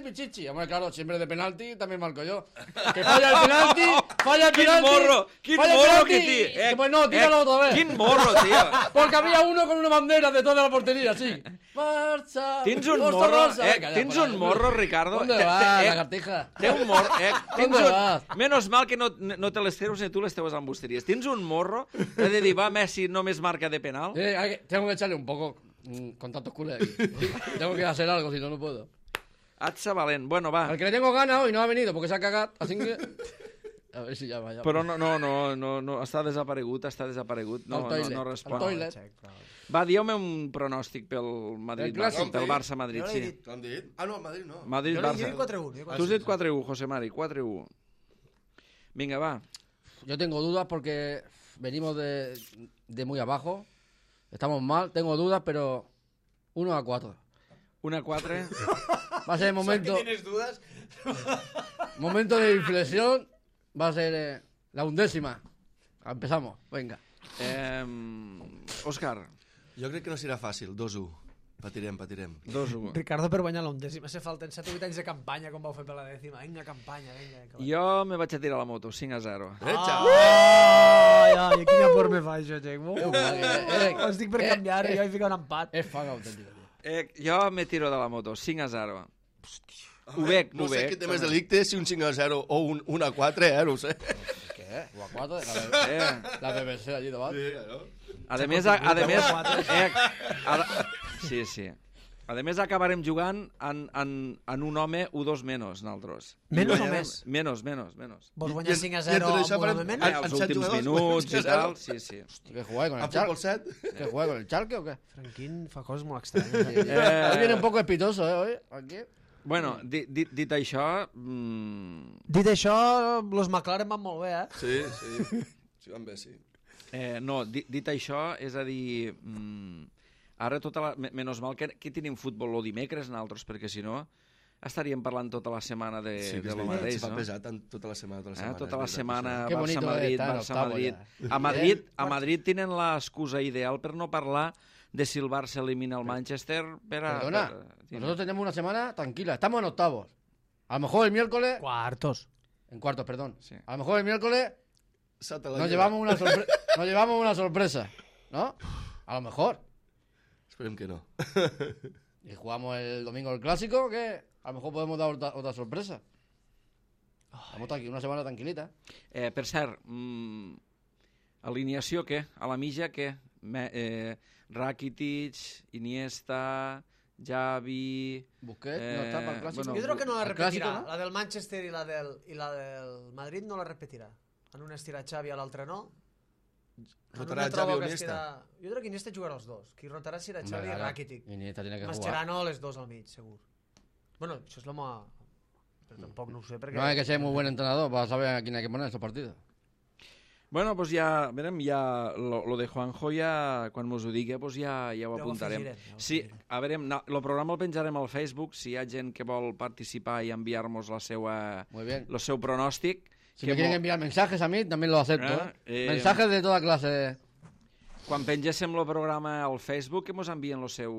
Pichichi. Hombre, claro, siempre de penalti también marco yo. Que falla el penalti, Quin morro que té. Pues no, tíralo otra vez. Quin morro, tío. Porque había uno con una bandera de toda la portería, sí. Marcha. Tens un morro, tens un morro, Ricardo. ¿Dónde vas, lagartija? Té un morro, ¿Dónde vas? Menos mal que no te les treus ni tu les teues embusteries. Tens un morro, he de dir, va, Messi només marca de penal. Tengo que echarle un poco con tantos culés aquí. Tengo que hacer algo, si no, no puedo. Atza valent. Bueno, va. Al que le tengo ganas hoy no ha venido porque se ha cagado, así que... A ver si llama. Però no, està desaparegut. No respon. Al toilet. Va, dieu-me un pronòstic pel Madrid-Barça, pel Barça-Madrid, sí. T'ho han dit? No, Madrid no. Madrid-Barça. Jo dic 4-1. Tu has dit 4-1, José Mari, 4-1. Vinga, va. Yo tengo dudas porque venimos de muy abajo. Estamos mal, tengo dudas, pero 1-4. 1-4. Va a ser el momento... ¿Tienes dudas? Momento de inflexión. Va a ser la 11ª. Empezamos, venga. Òscar. Jo crec que no serà fàcil, 2-1. Patirem. 2-1. Ricardo per guanyar l'undècima. Se falten 7 o 8 anys de campanya, com vau fer per la dècima. Vinga, campanya, vinga. Jo me vaig a tirar la moto, 5-0. Ai, quina por me fa això, Txec. Estic per canviar i jo hi fico un empat. És fan autèntic. Jo me tiro de la moto, 5-0. Ho veig. No sé què té més delicte, si un 5-0 o un 1-4, no ho sé. Què? O a 4? La BBC allí davant. A més, sí. A més, acabarem jugant en un home o dos menys, nosaltres. Menys o més? Menys. Vols guanyar 5-0 amb un home menys? Els últims minuts i tal, sí. ¿Qué juega con el Chalke? ¿Qué juega con el Chalke o qué? Franquín fa coses molt estranyes. Hoy viene un poco espitoso, hoy, aquí. Bueno, dit això... Dit això, los McLaren van molt bé, Sí. Sí, van bé, sí. No, dit això, és a dir... Ara, menys mal que tenim futbol el dimecres nosaltres, perquè si no estaríem parlant tota la setmana de lo mateix, no? Sí, pesat tota la setmana. Tota la setmana, Barça-Madrid. A Madrid tenen l'excusa ideal per no parlar de si el Barça elimina el Manchester. Perdona, nosotros tenemos una semana tranquila, estamos en octavos. A lo mejor el miércoles... En cuartos, perdón. Sí. A lo mejor el miércoles nos llevamos una sorpresa, ¿no? A lo mejor. Esperem que no. Y jugamos el domingo el clásico, que a lo mejor podemos dar otra sorpresa. Estamos aquí una setmana tranquil·lita. Per cert, alineació què? A la mitja què? Rakitic, Iniesta, Xavi... Busquets no està pel clàssic. Jo crec que no la repetirà. ¿No? La del Manchester i la del Madrid no la repetirà. En una estirà Xavi, a l'altra no. Rotarà Xavi o Iniesta? Jo crec que Iniesta jugarà els dos. Qui rotarà serà Xavi i Rakitic. Iniesta tiene que jugar. Mascherano les dos al mig, segur. Bueno, això és l'home... Però tampoc no ho sé perquè... No hay que ser muy buen entrenador para saber a quién hay que poner estos partidos. Bueno, pues ja, verem, ja lo de Juanjo ja, quan mos ho digui, pues ja ho apuntarem. Sí, a veure, el programa el penjarem al Facebook, si hi ha gent que vol participar i enviar-nos el seu pronòstic. Si me quieren enviar mensajes a mí, también lo acepto. Mensajes de toda clase. Quan pengéssim el programa al Facebook, que mos envien el seu...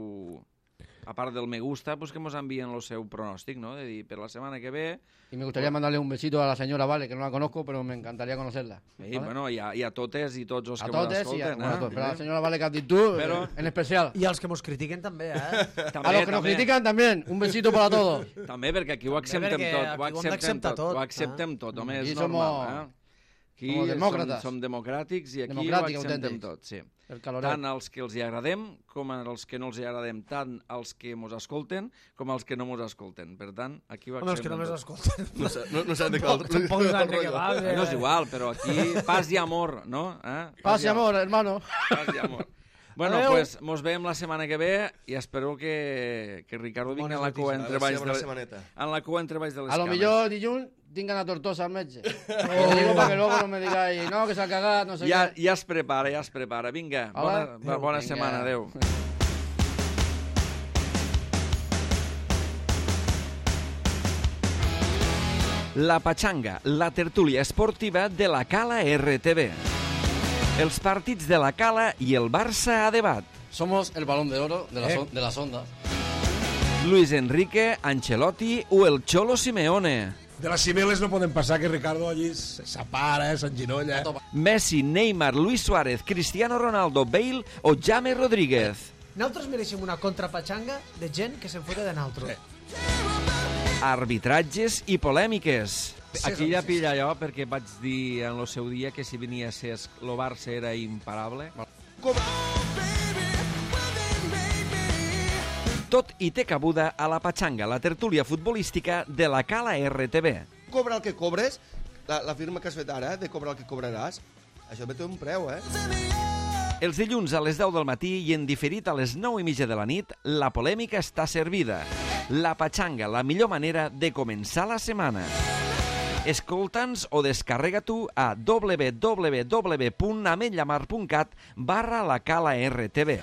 A part del me gusta, pues que mos envien el seu pronòstic, ¿no? De dir, per la setmana que ve... Y me gustaría mandarle un besito a la señora Vale, que no la conozco, pero me encantaría conocerla. Sí, ¿vale? Bueno, i a totes i tots els que mos escolten. A totes, pero a la señora Vale Catitud, en especial. I als que mos critiquen també, A los que nos critican también, un besito para todos. També, perquè aquí ho acceptem tot. Ho acceptem tot, home, és normal. Aquí som democràtics i aquí ho acceptem tot, sí. Tant els que els hi agradem com els que no els hi agradem, tant els que mos escolten com els que no mos escolten. Per tant, aquí ho acceptem tot. Els que no mos escolten. No s'han de cal... No és igual, però aquí paz i amor, no? Paz i amor, hermano. Paz i amor. Bueno, pues mos veiem la setmana que ve i espero que Ricardo vingui en la cua entre baix de les cames. A lo millor dilluns tingan a Tortosa al metge. Lo digo para que luego no me digáis, no, que s'ha cagat, no sé què. Ja es prepara. Vinga, bona setmana, adeu. La Pachanga, la tertúlia esportiva de la Cala RTV. Els partits de la Cala i el Barça a debat. Somos el balón de oro de las ondas. Luis Enrique, Ancelotti o el Cholo Simeone. De las Cibeles no poden passar, que Ricardo allí s'apara, s'enginolla. Messi, Neymar, Luis Suárez, Cristiano Ronaldo, Bale o James Rodríguez. Nosaltres mereixem una contrapatxanga de gent que se'n fota de nosaltres. Arbitratges i polèmiques. Aquí ja pilla jo, perquè vaig dir en el seu dia que si venia a ser el Barça era imparable. Tot i té cabuda a la Pachanga, la tertúlia futbolística de la Cala RTV. Cobra el que cobres, la firma que has fet ara, de cobrar el que cobraràs, això té un preu, Els dilluns a les 10 del matí i en diferit a les 9:30 de la nit, la polèmica està servida. La Pachanga, la millor manera de començar la setmana. Escolta'ns o descarrega-t'ho a www.ametllamar.cat/la Cala RTV.